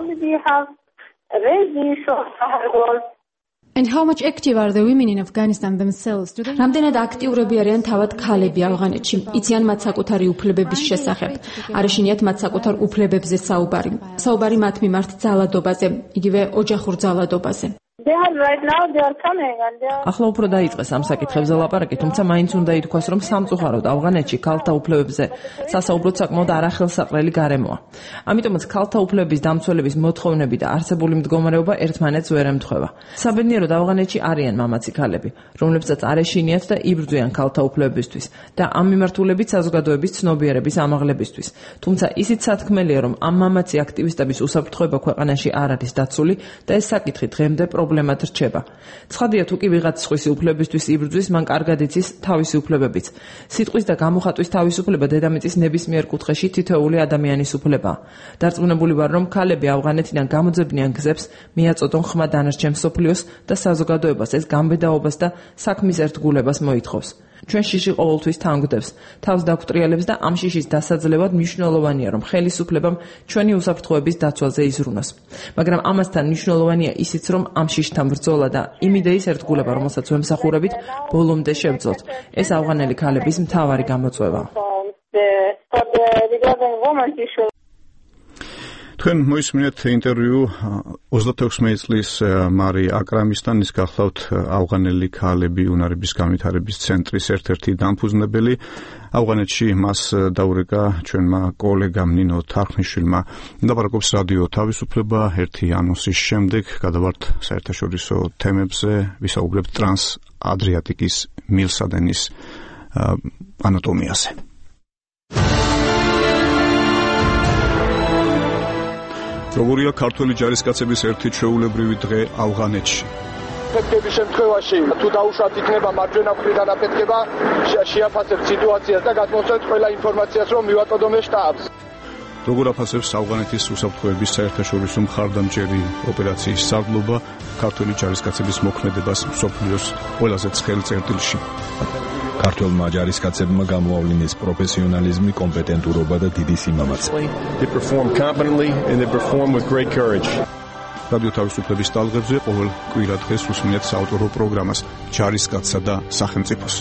And how much active are the women in Afghanistan themselves? Do they... რამდენად აქტიურები არიან თავად ქალები ავღანეთში? იციან მათ საკუთარი უფლებების შესახებ. არ ეშინიათ მათ საკუთარ უფლებებზე საუბარი. საუბარი მათ მიმართ ძალადობაზე, იგივე ოჯახურ ძალადობაზე. They are right now they are coming and they are ახლა უფრო დაიწყეს ამ საკითხებზე ლაპარაკი, თუმცა მაინც უნდა ითქვას, რომ სამწუხაროდ ავღანეთში ქალთა უფლებებზე სასაუბროთ საკმაოდ არახელსაყრელი გარემოა. ამიტომაც ქალთა უფლებების დამცველების მოთხოვნები და არსებული მდგომარეობა ერთმანეთს ვერ ემთხვევა. საბედნიეროდ ავღანეთში არიან მამაცი ქალები, რომლებსაც არ ეშინიათ და იბრძვიან ქალთა უფლებებისთვის და ამ მიმართულებით საზოგადოების ცნობიერების ამაღლებისთვის. თუმცა ისიც სათქმელია, რომ ამ მამაცი აქტივისტების უსაფრთხოება ქვეყანაში არ არის დაცული და ეს საკითხი დღემდე პრობლემად რჩება. ცხადია, თუ კი ვიღაც სხვისი უფლებისთვის იბრძვის, მან კარგად იცის თავისი უფლებებიც. სიტყვის და გამოხატვის თავისუფლება დედამიწის ნებისმიერ კუთხეში თითოეული ადამიანის უფლებაა. დარწმუნებული ვარ, რომ ქალები ავღანეთიდან გამოძებნიან გზებს მიაწოდონ ხმა დანარჩენ მსოფლიოს და საზოგადოებას ეს გამბედაობას და საქმის ერთგულებას მოითხოვს. ჩვენ შიში ყოველთვის თანგდებს, თავს დაგვტრიალებს და ამ შიშის დასაძლევად მნიშვნელოვანია, რომ ხელისუფლებამ ჩვენი უსაფრთხოების დაცვაზე იზრუნოს. მაგრამ ამასთან მნიშვნელოვანია ისიც, რომ ამ შიშთან ბრძოლა და იმ იდეის ერთგულება, რომელსაც ვემსახურებით, ბოლომდე შევძლოთ. ეს ავღანელი ქალების მთავარი გამოწვევაა. თქვენ მოისმინეთ ინტერვიუ ოცდათექვსმეტი წლის მარი აკრამისთან, ის გახლავთ ავღანელი ქალები უნარების განვითარების ცენტრის ერთ-ერთი დამფუძნებელი. ავღანეთში მას დაურეკა ჩვენმა კოლეგამ ნინო თარხნიშვილმა. ლაპარაკობს რადიო თავისუფლება ერთი ანონსის შემდეგ. გადავართ საერთაშორისო თემებზე, ვისაუბრებთ ტრანს-ადრიატიკის მილსადენის ანატომიაზე. როგორია ქართველი ჯარისკაცების ერთი ჩვეულებრივი დღე ავღანეთში? ფეთქების შემთხვევაში თუ დაუშვათ იქნება მარჯვენა მხრიდან აფეთქება, შეაფასებთ სიტუაციას და გადმოსცემთ ყველა ინფორმაციას, რომ მივაწოდოთ შტაბს. როგორ აფასებს ავღანეთის უსაფრთხოების საერთაშორისო მხარდამჭერი ოპერაციის სარდლობა ქართველი ჯარისკაცების მოქმედებას მსოფლიოს ყველაზე ცხელ წერტილში? ქართველმა ჯარისკაცებმა გამოავლინეს პროფესიონალიზმი, კომპეტენტურობა და დიდი სიმამაცე. They perform competently and they perform with great courage. რადიო თავისუფლების ტალღებზე ყოველ კვირა დღეს უსმენთ საავტორო პროგრამას ჯარისკაცსა და სახელმწიფოს.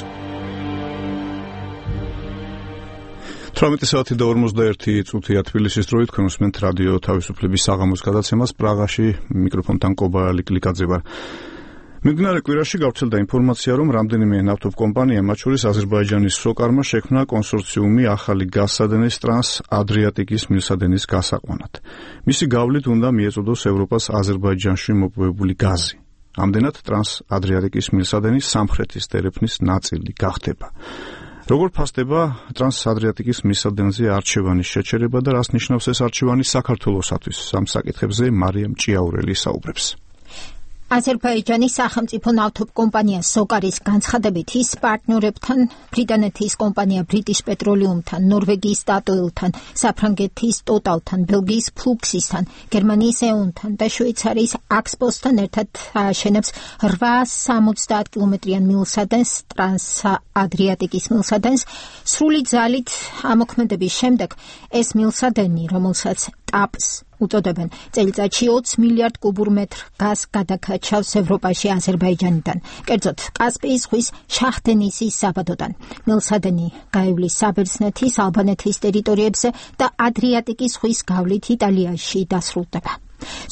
თვრამეტი საათი და ორმოცდაერთი წუთია თბილისის დროით, თქვენ უსმენთ რადიო თავისუფლების საღამოს გადაცემას პრაღაში, მიკროფონთან კობა ლიკლიკაძე ვარ. მიმდინარე კვირაში გავრცელდა ინფორმაცია, რომ რამდენიმე ნავთობკომპანია, მათ შორის აზერბაიჯანის სოკარმა შექმნა კონსორციუმი ახალი გაზსადენის ტრანს-ადრიატიკის მილსადენის გასაყვანად. მისი გავლით უნდა მიეწოდოს ევროპას აზერბაიჯანში მოპოვებული გაზი. ამდენად ტრანს-ადრიატიკის მილსადენის სამხრეთის დერეფნის ნაწილი გახდება. როგორ ფასდება ტრანს-ადრიატიკის მილსადენზე არჩევანის შეჩერება და რას ნიშნავს ეს არჩევანი საქართველოსათვის? ამ საკითხებზე მარიამ ჭიაურელი საუბრებს. აზერბაიჯანის სახელმწიფო ნავთობკომპანია სოკარის განცხადებით ის პარტნიორებთან, ბრიტანეთის კომპანია British Petroleum-თან, ნორვეგიის Statoil-თან, საფრანგეთის Total-თან, ბელგიის Fluxis-თან, გერმანიის E.ON-თან და შვეიცარიის Axpos-თან ერთად აშენებს რვაას სამოცდაათ კილომეტრიან მილსადენს, ტრანს-ადრიატიკის მილსადენს. სრული ძალით ამოქმედების შემდეგ ეს მილსადენი, რომელსაც ტაპს უწოდებენ, წელიწადში ოცი მილიარდ კუბურ მეტრ გაზს გადაკაჩავს ევროპაში აზერბაიჯანიდან, კერძოდ კასპიის ზღვის შაჰ-დენისის საბადოდან. მილსადენი გაივლის საბერძნეთის, ალბანეთის ტერიტორიებზე და ადრიატიკის ზღვის გავლით იტალიაში დასრულდება.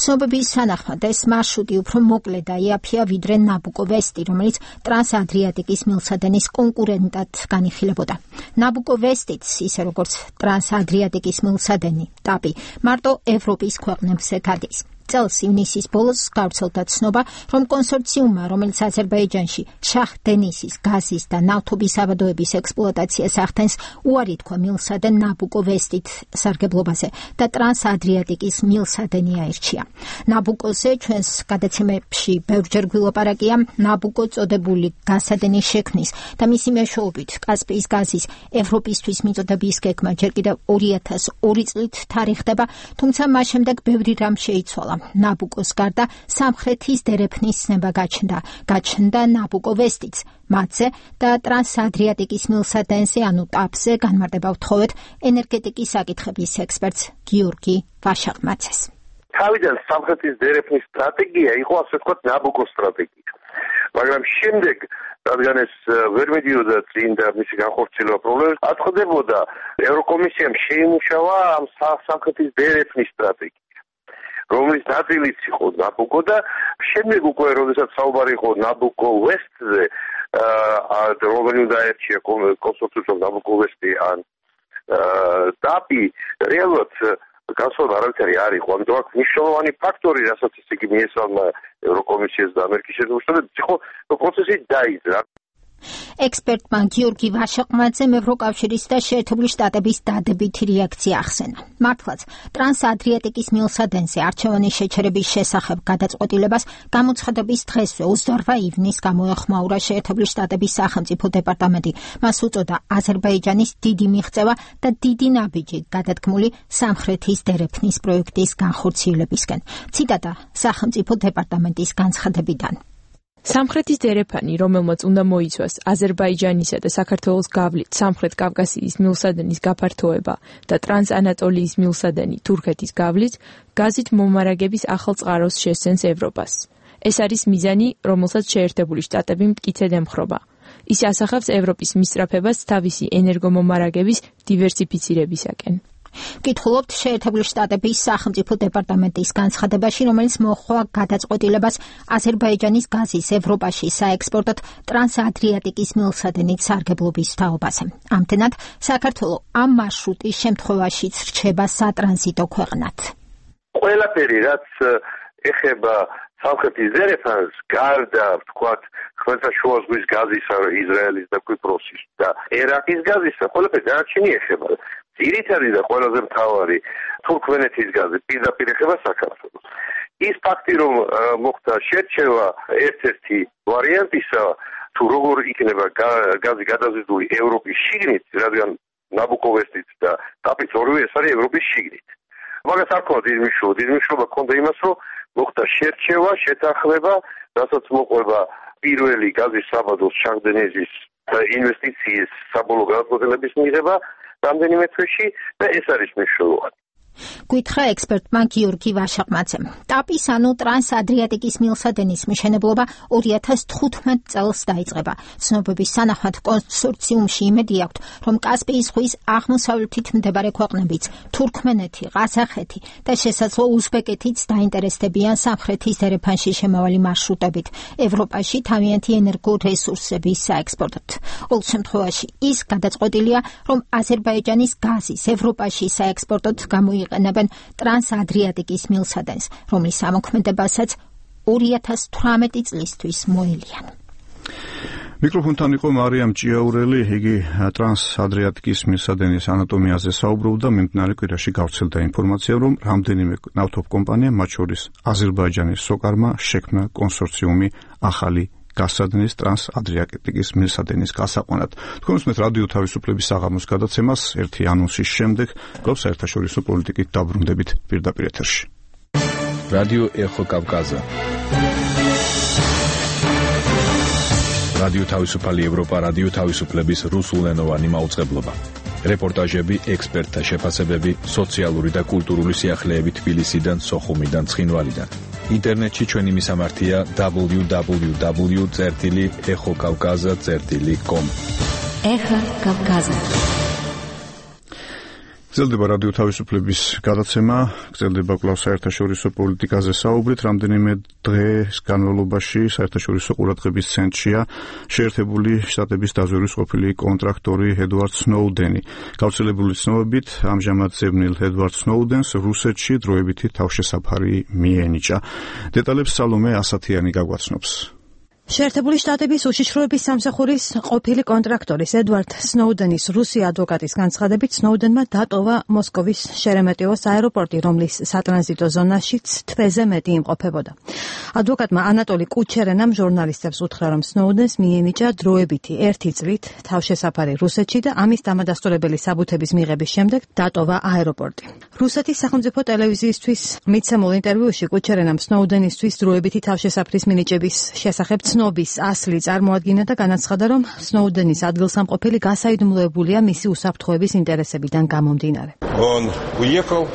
ცნობების თანახმად ეს მარშრუტი უფრო მოკლე და იაფია ვიდრე ნაბუკო ვესტი, რომელიც ტრანს-ადრიატიკის მილსადენის კონკურენტად განიხილებოდა. ნაბუკო ვესტიც, ისე როგორც ტრანს-ადრიატიკის მილსადენი, ტაპი, მარტო ევროპის ქვეყნებზე გადის. წელს ივნისის ბოლოს გავრცელდა ცნობა, რომ კონსორციუმმა, რომელიც აზერბაიჯანში შაჰ-დენისის გაზის და ნავთობის საბადოების ექსპლუატაციას ახდენს, უარი თქვა მილსადენ ნაბუკო ვესტით სარგებლობაზე და ტრანს-ადრიატიკის მილსადენი აირჩია. ნაბუკოზე ჩვენს გადაცემებში ბევრჯერ გვილაპარაკია ნაბუკო წოდებული გაზსადენის შექმნის და მისი მეშვეობით კასპიის გაზის ევროპისთვის მიწოდების გეგმა ჯერ კიდევ ორი ათას ორი წლით თარიღდება, თუმცა მას შემდეგ ბევრი რამ შეიცვალა. ნაბუკოს გარდა სამხრეთის დერეფნის ცნება გაჩნდა. გაჩნდა ნაბუკო ვესტიც, მათზე და ტრანს-ადრიატიკის მილსადენზე, ანუ ტაპზე განმარტება ვთხოვეთ ენერგეტიკის საკითხების ექსპერტს გიორგი ვაშაღმაცეს. თავიდან სამხრეთის დერეფნის სტრატეგია იყო ასე ვთქვათ ნაბუკოს სტრატეგია. მაგრამ შემდეგ რადგან ეს ვერ მიდიოდა წინ და მისი განხორციელება პრობლემებს აწყდებოდა, ევროკომისიამ შეიმუშავა ამ სამხრეთის დერეფნის სტრატეგია, რომლის ნაწილიც იყო ნაბუკო და შემდეგ უკვე როდესაც საუბარი იყო ნაბუკო ვესტზე, რომელი უნდა აერჩია კონსორციუმს ნაბუკო ვესტი ან დაპი, რეალურად გასვლა არავითარი არ იყო, ამიტომ აქ მნიშვნელოვანი ფაქტორი, რასაც ის იგი მიესალმა ევროკომისიას და ამერიკის შეერთებულ შტატებს, იყო პროცესი დაიძრა. ექსპერტმა გიორგი ვაშაყმაძემ ევროკავშირის და შეერთებული შტატების დადებითი რეაქცია ახსენა. მართლაც, ტრანსადრიატიკის მილსადენზე არჩევანის შეჩერების შესახებ გადაწყვეტილებას გამოცხადების დღესვე ოცდაორ ივნისს გამოეხმაურა შეერთებული შტატების სახელმწიფო დეპარტამენტი. მას უწოდა აზერბაიჯანის დიდი მიღწევა და დიდი ნაბიჯი გადადგმული სამხრეთის დერეფნის პროექტის განხორციელებისკენ. ციტატა სახელმწიფო დეპარტამენტის განცხადებიდან. სამხრეთის დერეფანი, რომელმაც უნდა მოიცვას აზერბაიჯანისა და საქართველოს გავლით სამხრეთ კავკასიის მილსადენის გაფართოება და ტრანსანატოლიის მილსადენი თურქეთის გავლით, გაზით მომარაგების ახალ წყაროს შესცენს ევროპას. ეს არის მიზანი, რომელსაც შეერთებული შტატები მტკიცედ ემხრობა. ის ასახავს ევროპის მისწრაფებას თავისი ენერგომომარაგების დივერსიფიცირებისაკენ. ვკითხულობთ შეერთებული შტატების სახელმწიფო დეპარტამენტის განცხადებაში, რომელიც მოჰყვა გადაწყვეტილებას აზერბაიჯანის გაზის ევროპაში საექსპორტოდ ტრანსადრიატიკის მილსადენით სარგებლობის თაობაზე. ამდენად, საქართველოს ამ მარშრუტის შემთხვევაშიც რჩება სატრანზიტო ქვეყნად. ყველაფერი, რაც ეხება სამხრეთის დერეფანს, გარდა, ვთქვათ, ხმელთაშუა ზღვის გაზისა, ისრაელის და კვიპროსის და ერაყის გაზისა, ყველაფერი დანარჩენი ეხება. ძირითადი და ყველაზე მთავარი თურქმენეთის გაზი პირდაპირ ეხება საქართველოს. ის ფაქტი, რომ მოხდა შერჩევა ერთ-ერთი ვარიანტისა, თუ როგორ იქნება გაზი გადაზიდული ევროპის შიგნით, რადგან ნაბუკო ვესტით და დაპიც ორივე ეს არის ევროპის შიგნით. მაგას არ ქონდა დიდი მნიშვნელობა, დიდი მნიშვნელობა ქონდა იმას, რომ მოხდა შერჩევა, შეთანხმება, რასაც მოყვება პირველი გაზის საბადოს ჩაგდენეზის ინვესტიციის საბოლოო გადაწყვეტილების მიღება რამდენიმე თვეში და ეს არის მნიშვნელოვანი. გვითხრა ექსპერტმა გიორგი ვაშაყმაძემ. ტაპის ანუ ტრანსადრიატიკის მილსადენის მშენებლობა ორი ათას თხუთმეტ წელს დაიწყება. ცნობების სანახმად კონსორციუმში იმედი აქვთ, რომ კასპიის ზღვის აღმოსავლეთით მდებარე ქვეყნებიც, თურქმენეთი, ყაზახეთი და შესაძლო უზბეკეთიც დაინტერესდებიან სამხრეთის დერეფანში შემავალი მარშრუტებით, ევროპაში თავიანთი ენერგორესურსების საექსპორტოდ. ყოველ შემთხვევაში ის გადაწყვეტილია, რომ აზერბაიჯანის გაზის ევროპაში საექსპორტოდ გამოიყენებენ ყენებენ ტრანსადრიატიკის მილსადენს, რომლის ამოქმედებასაც ორი ათას თვრამეტი წლისთვის მოელიან. მიკროფონთან იყო მარიამ ჭიაურელი, იგი ტრანსადრიატიკის მილსადენის ანატომიაზე საუბრობდა. მიმდინარე კვირაში გავრცელდა ინფორმაცია, რომ რამდენიმე ნავთობკომპანია, მათ შორის აზერბაიჯანის სოკარმა, შექმნა კონსორციუმი ახალი გასადნის ტრანსადრიატიკის მილსადენის გასაყვანად. თქვენ უსმენთ რადიო თავისუფლების საღამოს გადაცემას. ერთი ანონსის შემდეგ გვაქვს საერთაშორისო პოლიტიკით დაბრუნდებით პირდაპირ ეთერში. რადიო ეხო კავკაზა. რადიო თავისუფალი ევროპა, რადიო თავისუფლების რუსულენოვანი მაუწყებლობა. რეპორტაჟები, ექსპერტთა შეფასებები, სოციალური და კულტურული სიახლეები თბილისიდან, სოხუმიდან, ცხინვალიდან. ინტერნეტში ჩვენი მისამართია დაბლიუ დაბლიუ დაბლიუ წერტილი ეხო კავკაზა წერტილი კომ. ეხა კავკაზა. გრძელდება რადიო თავისუფლების გადაცემა, გრძელდება კვლავ საერთაშორისო პოლიტიკაზე საუბრით. რამდენიმე დღეს განმავლობაში საერთაშორისო ყურადღების ცენტრშია შეერთებული შტატების დაზვერვის ყოფილი კონტრაქტორი ედვარდ სნოუდენი. გავრცელებული ცნობებით, ამჟამად ზევნილ ედვარდ სნოუდენს რუსეთში დროებითი თავშესაფარი მიენიჭა. დეტალებს სალომე ასათიანი გაგვაცნობს. შეერთებული შტატების უშიშროების სამსახურის ყოფილი კონტრაქტორის ედვარდ სნოუდენის რუსი ადვოკატის განცხადებით, სნოუდენმა დატოვა მოსკოვის შერემეტიევოს აეროპორტი, რომლის სატრანზიტო ზონაშიც თვეზე მეტი იმყოფებოდა. ადვოკატმა ანატოლი კუჩერენამ ჟურნალისტებს უთხრა, რომ სნოუდენს მიენიჭა დროებითი ერთი წლით თავშესაფარი რუსეთში და ამის დამადასტურებელი საბუთების მიღების შემდეგ დატოვა აეროპორტი. რუსეთის სახელმწიფო ტელევიზიისთვის მიცემულ ინტერვიუში კუჩერენამ სნოუდენისთვის დროებითი თავშესაფრის მინიჭების შესახებ ცნობის ასლი წარმოადგინა და განაცხადა, რომ სნოუდენის ადგილსამყოფელი გასაიდუმლოებულია მისი უსაფრთხოების ინტერესებიდან გამომდინარე. Он уехал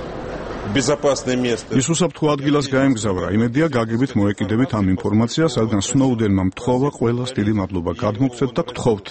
безопасное место. ის უსაფრთხო ადგილას გაემგზავრა. იმედია გაგებით მოეკიდებით ამ ინფორმაციას, რადგან სნოუდენმა მთხოვა ყველას დიდი მადლობა გადმოგცეთ და გთხოვთ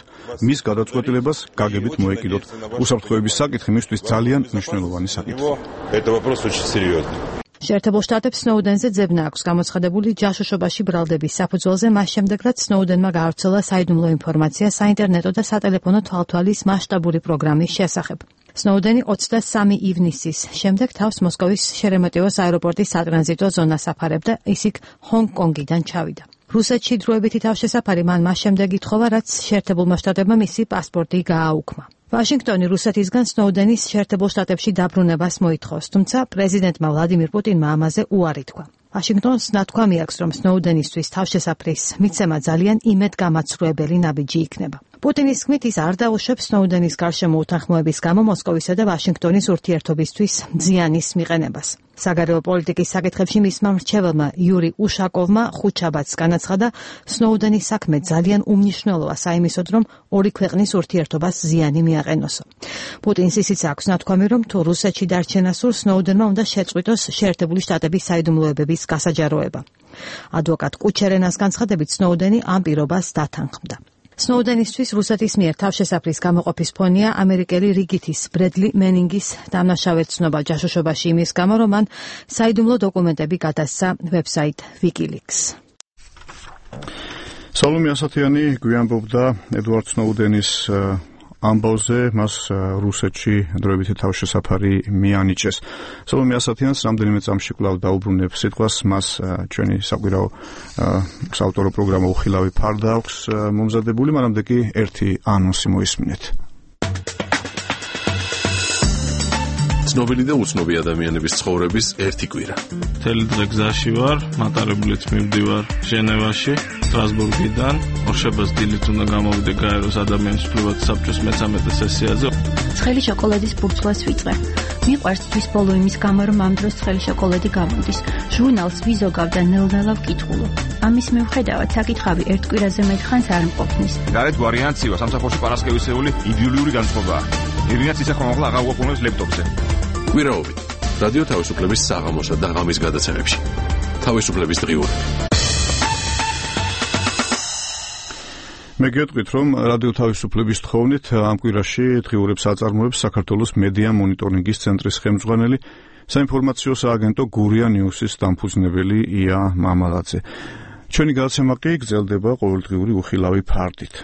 მის გადაწყვეტილებას გაგებით მოეკიდოთ. უსაფრთხოების საკითხი მისთვის ძალიან მნიშვნელოვანი საკითხია. Это вопрос очень серьезный. შეერთებულ შტატებს სნოუდენზე ძებნა აქვს გამოცხადებული ჯაშუშობაში ბრალდების საფუძველზე მას შემდეგ, რაც სნოუდენმა გაავრცელა საიდუმლო ინფორმაცია საინტერნეტო და სატელეფონო თვალთვალის მასშტაბური პროგრამის შესახებ. სნოუდენი ოცდასამი ივნისის შემდეგ თავს მოსკოვის შერემეტიევოს აეროპორტის სატრანზიტო ზონას აფარებდა, ის იქ ჰონგ-კონგიდან ჩავიდა. რუსეთში დროებითი თავშესაფარი მან მას შემდეგ ითხოვა, რაც შეერთებულმა შტატებმა მისი პასპორტი გააუქმა. ვაშინგტონი რუსეთისგან სნოუდენის შეერთებულ შტატებში დაბრუნებას მოითხოვს, თუმცა პრეზიდენტმა ვლადიმირ პუტინმა ამაზე უარი თქვა. ვაშინგტონს ნათქვამი აქვს, რომ სნოუდენისთვის თავშესაფრის მიცემა ძალიან იმედგამაცრუებელი ნაბიჯი იქნება. პუტინის თქმით, ის არ დაუშვებს სნოუდენის გარშემო უთანხმოების გამო მოსკოვისა და ვაშინგტონის ურთიერთობისთვის ზიანის მიყენებას. საგარეო პოლიტიკის საკითხებში მისმა მრჩეველმა იური უშაკოვმა ხუთშაბათს განაცხადა, სნოუდენის საქმე ძალიან უმნიშვნელოა საიმისოდ, რომ ორი ქვეყნის ურთიერთობას ზიანი მიაყენოსო. პუტინს ისიც აქვს ნათქვამი, რომ თუ რუსეთში დარჩენა სურს, სნოუდენმა უნდა შეწყვიტოს შეერთებული შტატების საიდუმლოებების გასაჯაროება. ადვოკატ კუჩერენას განცხადებით, სნოუდენი ამ პირობას დათანხმდა. სნოუდენისთვის რუსეთის მიერ თავშესაფრის გამოყოფის ფონია ამერიკელი რიგითის ბრედლი მენინგის დამნაშავედ ცნობა ჯაშუშობაში იმის გამო, რომ მან საიდუმლო დოკუმენტები გადასცა ვებსაიტ WikiLeaks. სალომე ასათიანი გვიანბობდა ედვარდ სნოუდენის ამბავზე, მას რუსეთში დროებითი თავშესაფარი მიანიჭეს. სალომე ასათიანს რამდენიმე წამში კვლავ დაუბრუნებ სიტყვას, მას ჩვენი საკვირაო საავტორო პროგრამა უხილავი ფარდა აქვს მომზადებული, მანამდე კი ერთი ანონსი მოისმინეთ. ცნობილი და უცნობი ადამიანების ცხოვრების ერთი კვირა. მთელი დღე გზაში ვარ, მატარებლით მივდივარ ჟენევაში, სტრასბურგიდან. ორშაბათს დილით უნდა გამოვიდე გაეროს ადამიანის უფლებათა საბჭოს მესამე სესიაზე. ცხელი შოკოლადის ბურცლას ვიწყე. მიყვარს თვის ბოლო იმის გამო, რომ ამ დროს ცხელი შოკოლადი გამოდის. ჟურნალს ვიზოგავ და ნელ-ნელა ვკითხულობ. ამის მიუხედავად საკითხავი ერთ კვირაზე მეტხანს არ მყოფნის. გარეთ ვარიანციო სამსახურში პარასკევისეული იდეოლოგიური განწყობაა. ირინაც ისე ხომ აღარ უყურებს ლეპტოპზე. კვირაობით რადიო თავისუფლების საღამოსა და ღამის გადაცემებში. თავისუფლების დღიური. მე გეტყვით, რომ რადიო თავისუფლების თხოვნით ამ კვირაში დღიურებს აწარმოებს საქართველოს მედია მონიტორინგის ცენტრის ხელმძღვანელი, საინფორმაციო სააგენტო გურია ნიუსის დამფუძნებელი ია მამალაძე. ჩვენი გადაცემა კი გრძელდება ყოველდღიური უხილავი ფარდით.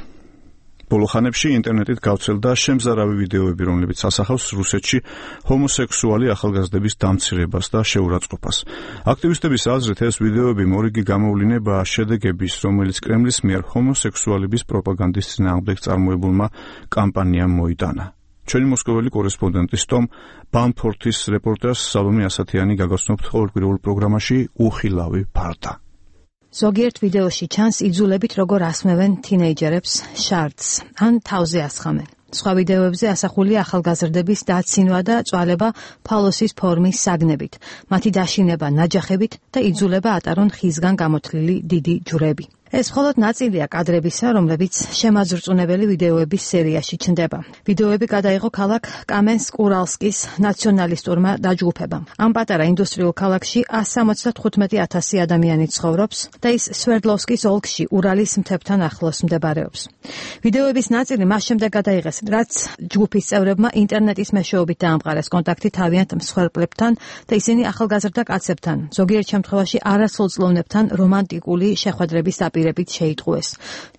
ბოლო ხანებში ინტერნეტით გავრცელდა შემზარავი ვიდეოები, რომლებიც ასახავს რუსეთში ჰომოსექსუალი ახალგაზრდების დამცირებას და შეურაცხყოფას. აქტივისტების აზრით, ეს ვიდეოები მორიგი გამოვლინებაა შედეგების, რომელიც კრემლის მიერ ჰომოსექსუალების პროპაგანდის წინააღმდეგ წარმოებულმა კამპანიამ მოიტანა. ჩვენი მოსკოველი კორესპონდენტის ტომ ბამფორთის რეპორტაჟს სალომე ასათიანი გაგაცნობთ ყოველკვირეულ პროგრამაში უხილავი ფარდა. ზოგიერთ ვიდეოში ჩანს იძულებით როგორ ასმევენ თინეიჯერებს შარდს, ან თავზე ასხამენ. სხვა ვიდეოებზე ასახულია ახალგაზრდების დაცინვა და წვალება ფალოსის ფორმის საგნებით, მათი დაშინება ნაჯახებით და იძულება ატარონ ხისგან გამოთლილი დიდი ჯვრები. ეს მხოლოდ ნაწილია კადრებისა, რომლებიც შემაძრწუნებელი ვიდეოების სერიაში ჩნდება. ვიდეოები გადაიღო ქალაქ კამენსკ-ურალსკის ნაციონალისტურმა დაჯგუფებამ. ამ პატარა ინდუსტრიულ ქალაქში εκατს სამოცდათხუთმეტი ათასი ადამიანი ცხოვრობს და ის სვერდლოვსკის ოლქში ურალის მთებთან ახლოს მდებარეობს. ვიდეოების ნაწილი მას შემდეგ გადაიღეს, რაც ჯგუფის წევრებმა ინტერნეტის მეშვეობით დაამყარეს კონტაქტი თავიანთ მსხვერპლებთან და ისინი ახალგაზრდა კაცებთან, ზოგიერთ შემთხვევაში არასრულწლოვნებთან რომანტიკული შეხვედრების პირებით შეიტყუეს.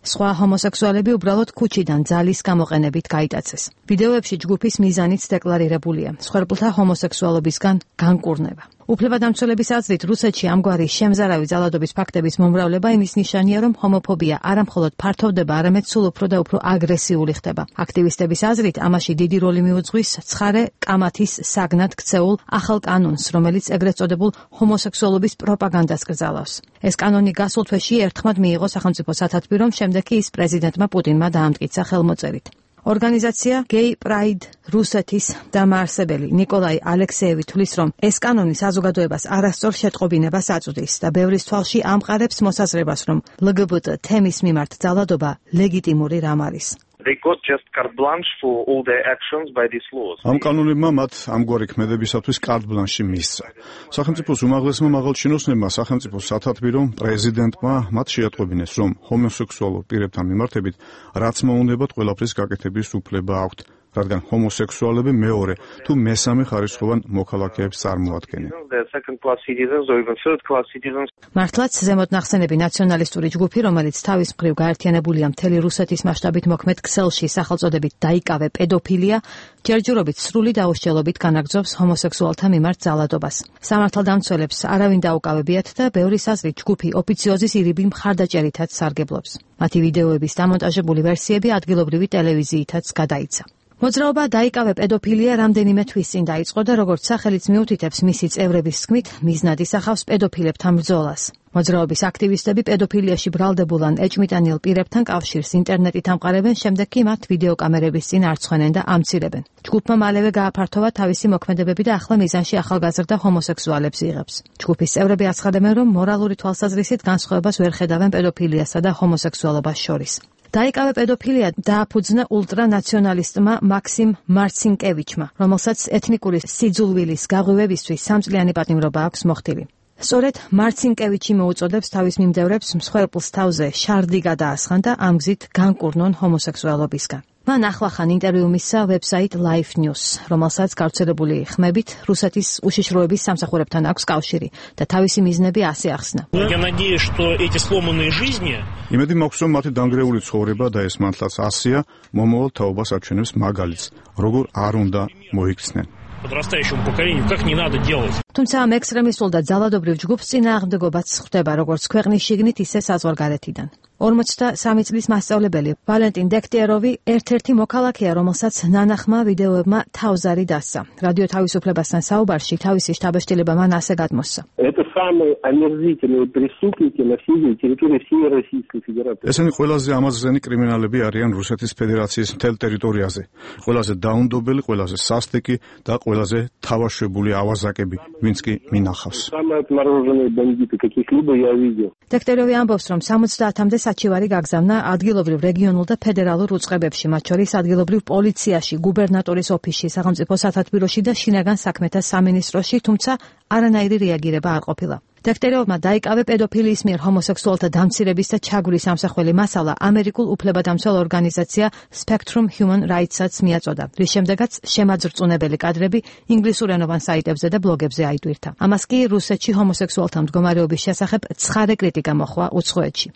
სხვა ჰომოსექსუალები უბრალოდ ქუჩიდან ძალის გამოყენებით გაიტაცეს. ვიდეოებში ჯგუფის მიზანიც დეკლარირებულია: მსხვერპლთა ჰომოსექსუალობისგან განკურნება. უფლებადამცველების აზრით, რუსეთში ამგვარი შემზარავი ძალადობის ფაქტების მომრავლება იმის ნიშანია, რომ ჰომოფობია არა მხოლოდ ფართოვდება, არამედ სულ უფრო და უფრო აგრესიული ხდება. აქტივისტების აზრით, ამაში დიდი როლი მიუძღვის ცხარე კამათის საგნად ქცეულ ახალ კანონს, რომელიც ეგრეთ წოდებულ ჰომოსექსუალობის პროპაგანდას კრძალავს. ეს კანონი გასულ თვეში ერთხმად მიიღო სახელმწიფო სათათბირომ, შემდეგ კი ის პრეზიდენტმა პუტინმა დაამტკიცა ხელმოწერით. ორგანიზაცია Gay Pride რუსეთის დამაარსებელი ნიკოლაი ალექსეევი თვლის, რომ ეს კანონი საზოგადოებას არასწორ შეტყობინებას აწვდის და ბევრის თვალში ამყარებს მოსაზრებას, რომ ლგბტ თემის მიმართ ძალადობა ლეგიტიმური რამ არის. they got just carte blanche for all their actions by these laws. ამ კანონებმა მათ ამგვარი ქმედებისათვის carte blanche მისცა. სახელმწიფოს უმაღლესმა მაღალჩინოსნებმა სახელმწიფოს სათათბირო პრეზიდენტმა მათ შეატყობინეს, რომ ჰომოსექსუალურ პირებთან მიმართებით რაც მოუნდებათ ყველაფრის გაკეთების უფლება აქვთ. რადგან ჰომოსექსუალები მეორე თუ მესამე ხარისხოვან მოქალაქეებს წარმოადგენენ. მართლაც ზემოთ ნახსენები ნაციონალისტური ჯგუფი, რომელიც თავის მხრივ გაერთიანებულია მთელი რუსეთის მასშტაბით მოქმედ ქსელში სახელწოდებით დაიკავე პედოფილია, ჯერჯერობით სრული დაუსჯელობით განაგრძობს ჰომოსექსუალთა მიმართ ძალადობას. სამართალდამცველებს არავინ დაუკავებიათ და ბევრის აზრით ჯგუფი ოფიციოზის ირიბი მხარდაჭერითაც სარგებლობს. მათი ვიდეოების დამონტაჟებული ვერსიები ადგილობრივი ტელევიზიითაც გადაიცა. მოძრაობა დაიკავე პედოფილია რამდენიმე თვის წინ დაიწყო და როგორც სახელიც მიუთითებს მისი წევრების თქმით, მიზნად ისახავს პედოფილებთან ბრძოლას. მოძრაობის აქტივისტები პედოფილიაში ბრალდებულ ან ეჭვმიტანილ პირებთან კავშირს ინტერნეტით ამყარებენ, შემდეგ კი მათ ვიდეოკამერების წინ არცხვენენ და ამცირებენ. ჯგუფმა მალევე გააფართოვა თავისი მოქმედებები და ახლა მიზანში ახალგაზრდა ჰომოსექსუალებს იღებს. ჯგუფის წევრები აცხადებენ, რომ მორალური თვალსაზრისით განსხვავებას ვერ ხედავენ პედოფილიასა და ჰომოსექსუალობას შორის. დაიკავე პედოფილია დააფუძნა ულტრანაციონალისტმა მაქსიმ მარცინკევიჩმა, რომელსაც ეთნიკური სიძულვილის გაღვივებისთვის სამწლიანი პატიმრობა აქვს მოხდილი. სწორედ მარცინკევიჩი მოუწოდებს თავის მიმდევრებს მსხვერპლს თავზე შარდი გადაასხან და ამ გზით განკურნონ ჰომოსექსუალობისგან. მან ახლახან ინტერვიუ მისცა ვებსაიტ Life News, რომელსაც გავრცელებული ხმებით რუსეთის უშიშროების სამსახურებთან აქვს კავშირი და თავისი მიზნები ასე ახსნა. იმედი მაქვს, რომ მათი დანგრეული ცხოვრება და ეს მართლაც ასია მომავალ თაობას აჩვენებს მაგალითს, როგორ არ უნდა მოიქცნენ. თუმცა ამ ექსტრემისტულ და ძალადობრივ ჯგუფს წინააღმდეგობაც ხდება როგორც ქვეყნის შიგნით, ისე საზღვარგარეთიდან. ორმოცდასამი წლის მასწავლებელი ვალენტინ დექტიეროვი ერთ-ერთი მოქალაქეა, რომელსაც ნანახმა ვიდეოებმა თავზარი დასცა. რადიო თავისუფლებასთან საუბარში თავისი შტაბ-შტილება მან ასე გადმოსცა. ესენი ყველაზე ამაზრენი კრიმინალები არიან რუსეთის ფედერაციის მთელ ტერიტორიაზე. ყველაზე დაუნდობელი, ყველაზე სასტიკი და ყველაზე თავაშვებული ავაზაკები, ვინც კი მინახავს. დექტიეროვი ამბობს, რომ სამოცდაათამდე საჩივარი გაგზავნა ადგილობრივ რეგიონულ და ფედერალურ უწყებებში, მათ შორის ადგილობრივ პოლიციაში, გუბერნატორის ოფისში, სახელმწიფო სათათბიროში და შინაგან საქმეთა სამინისტროში, თუმცა არანაირი რეაგირება არ ყოფილა. დექტიეროვმა დაიკავე პედოფილიის მიერ ჰომოსექსუალთა დამცირების და ჩაგვრის ამსახველი მასალა ამერიკულ უფლებადამცველ ორგანიზაცია Spectrum Human Rights-აც მიაწოდა, რის შემდეგაც შემაძრწუნებელი კადრები ინგლისურენოვან საიტებზე და ბლოგებზე აიტვირთა. ამას კი რუსეთში ჰომოსექსუალთა მდგომარეობის შესახებ ცხარე კრიტიკა მოჰყვა უცხოეთში.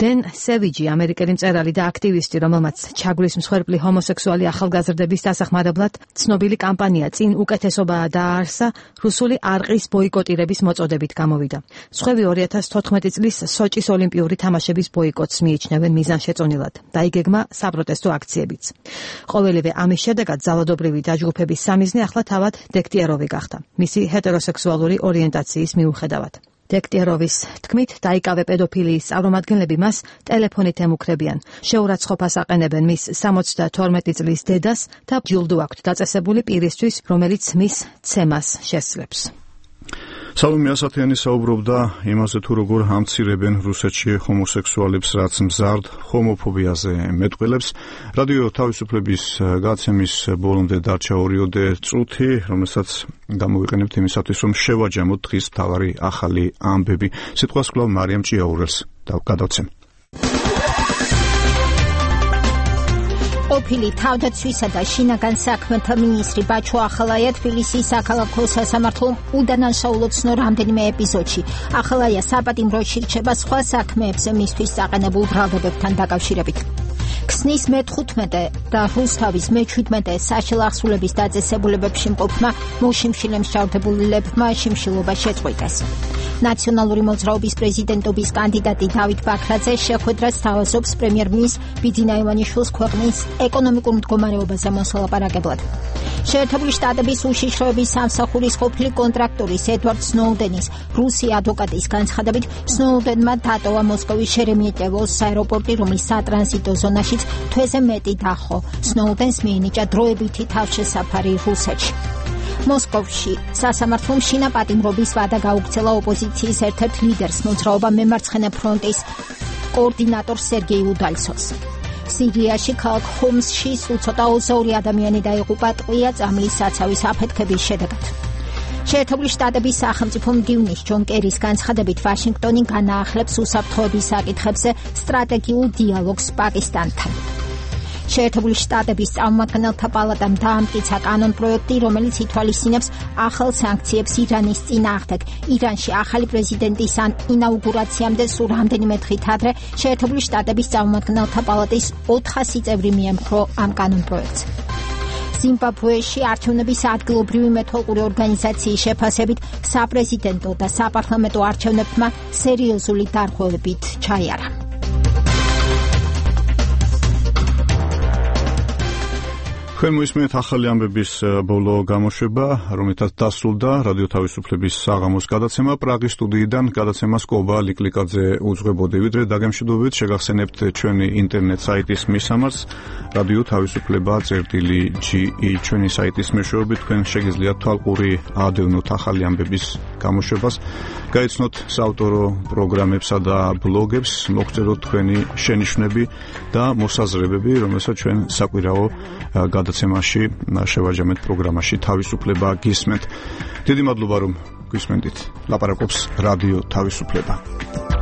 დენ სევიჯი, ამერიკელი მწერალი და აქტივისტი, რომელმაც ჩაგვის მსხვერპლი ჰომოსექსუალი ახალგაზრდების დასახმარებლად ცნობილი კამპანია წინ უკეთესობაა დააარსა, რუსული არყის ბოიკოტირების მოწოდებით გამოვიდა. სხვები ორი ათას თოთხმეტი წლის სოჭის ოლიმპიური თამაშების ბოიკოტს მიიჩნევენ მიზანშეწონილად. დაიგეგმა საპროტესტო აქციებიც. ყოველივე ამის შედეგად ძალადობრივი დაჯგუფების სამიზნე ახლა თავად დექტიეროვი გახდა, მისი ჰეტეროსექსუალური ორიენტაციის მიუხედავად. დექტიეროვის თქმით, დაიკავე პედოფილიის წარმომადგენლები მას ტელეფონით ემუქრებიან. შეურაცხყოფას აყენებენ მის სამოცდათორმეტი წლის დედას და ჯილდო აქვთ დაწესებული პირისთვის, რომელიც მის ცემას შესძლებს. სალომე ასათიანი საუბრობდა იმაზე, თუ როგორ ამცირებენ რუსეთში ჰომოსექსუალებს, რაც მზარდ ჰომოფობიაზე მეტყველებს. რადიო თავისუფლების გაცემის ბოლომდე დარჩა ორიოდე წუთი, რომელსაც გამოვიყენებთ იმისათვის, რომ შევაჯამოთ დღის მთავარი ახალი ამბები. სიტყვას კვლავ მარიამ ჭიაურელს გადავცემ. ყოფილი თავდაცვისა და შინაგან საქმეთა მინისტრი ბაჩო ახალაია თბილისის საქალაქო სასამართლომ უდანაშაულობს რამდენიმე ეპიზოდში. ახალაია საპატიმროში რჩება სხვა საქმეებზე მისთვის საყენებულ ბრალდებებთან დაკავშირებით. ქსნის მეთხუთმეტე და რუსთავის მეჩვიდმეტე საშილახსულების დაწესებულებებში მყოფმა მოშიმშილე მსჯავრდებულებმა შიმშილობა შეწყვიტეს. ნაციონალური მოძრაობის პრეზიდენტობის კანდიდატი დავით ბაქრაძე შეხვედრას თავაზობს პრემიერ-მინისტრ ბიძინა ივანიშვილის ქვეყნის ეკონომიკურ მდგომარეობაზე მოსალაპარაკებლად. შეერთებული შტატების უშიშროების სამსახურის ყოფილი კონტრაქტორის ედვარდ სნოუდენის რუსი ადვოკატის განცხადებით, სნოუდენმა დატოვა მოსკოვის შერემეტიევოს აეროპორტი, რომლის სატრანზიტო ზონაშიც თვეზე მეტი დახო. სნოუდენს მიენიჭა დროებითი თავშესაფარი რუსეთში. მოსკოვში სასამართლომ შინა პატიმრობის ვადა გაუქცელა ოპოზიციის ერთ-ერთ ლიდერს, მოძრაობა მემარცხენე ფრონტის კოორდინატორ სერგეი უდალცოვს. სირიაში ქალაქ ხომსში სულ ცოტა ოცდაორი ადამიანი დაიღუპა ტყვია წამლის საცავის აფეთქების შედეგად. შეერთებული შტატების სახელმწიფო მდივნის ჯონ კერის განცხადებით ვაშინგტონი განაახლებს უსაფრთხოების საკითხებზე სტრატეგიულ დიალოგს პაკისტანთან. შეერთებული შტატების წარმომადგენელთა პალატამ დაამტკიცა კანონპროექტი, რომელიც ითვალისწინებს ახალ სანქციებს ირანის წინააღმდეგ. ირანში ახალი პრეზიდენტის ინაუგურაციამდე სულ რამდენიმე დღით ადრე შეერთებული შტატების წარმომადგენელთა პალატის ოთხასი წევრი მიემხრო ამ კანონპროექტს. ზიმბაბვეში არჩევნების ადგილობრივი მეთვალყური ორგანიზაციის შეფასებით საპრეზიდენტო და საპარლამენტო არჩევნებმა სერიოზული დარღვევებით ჩაიარა. ჩვენ მოისმენთ ახალი ამბების ბოლო გამოშვება, რომელთაც დასრულდა რადიო თავისუფლების საღამოს გადაცემა. პრაღის სტუდიიდან გადაცემას კობა ლიკლიკაძე უძღვებოდი. ვიდრე დაგემშვიდობებით, შეგახსენებთ ჩვენი ინტერნეტ საიტის მისამართს რადიო თავისუფლება წერტილი ჯი ი. ჩვენი საიტის მეშვეობით თქვენ შეგიძლიათ თვალყური აადევნოთ ახალი ამბების გამოშვებას, გაიცნოთ საავტორო პროგრამებსა და ბლოგებს, მოგწეროთ თქვენი შენიშვნები და მოსაზრებები, რომელსაც ჩვენ საკვირაო გადაცემაში შევაჯამეთ პროგრამაში თავისუფლება გისმენთ. დიდი მადლობა რომ გვისმენთ. ლაპარაკობს რადიო თავისუფლება.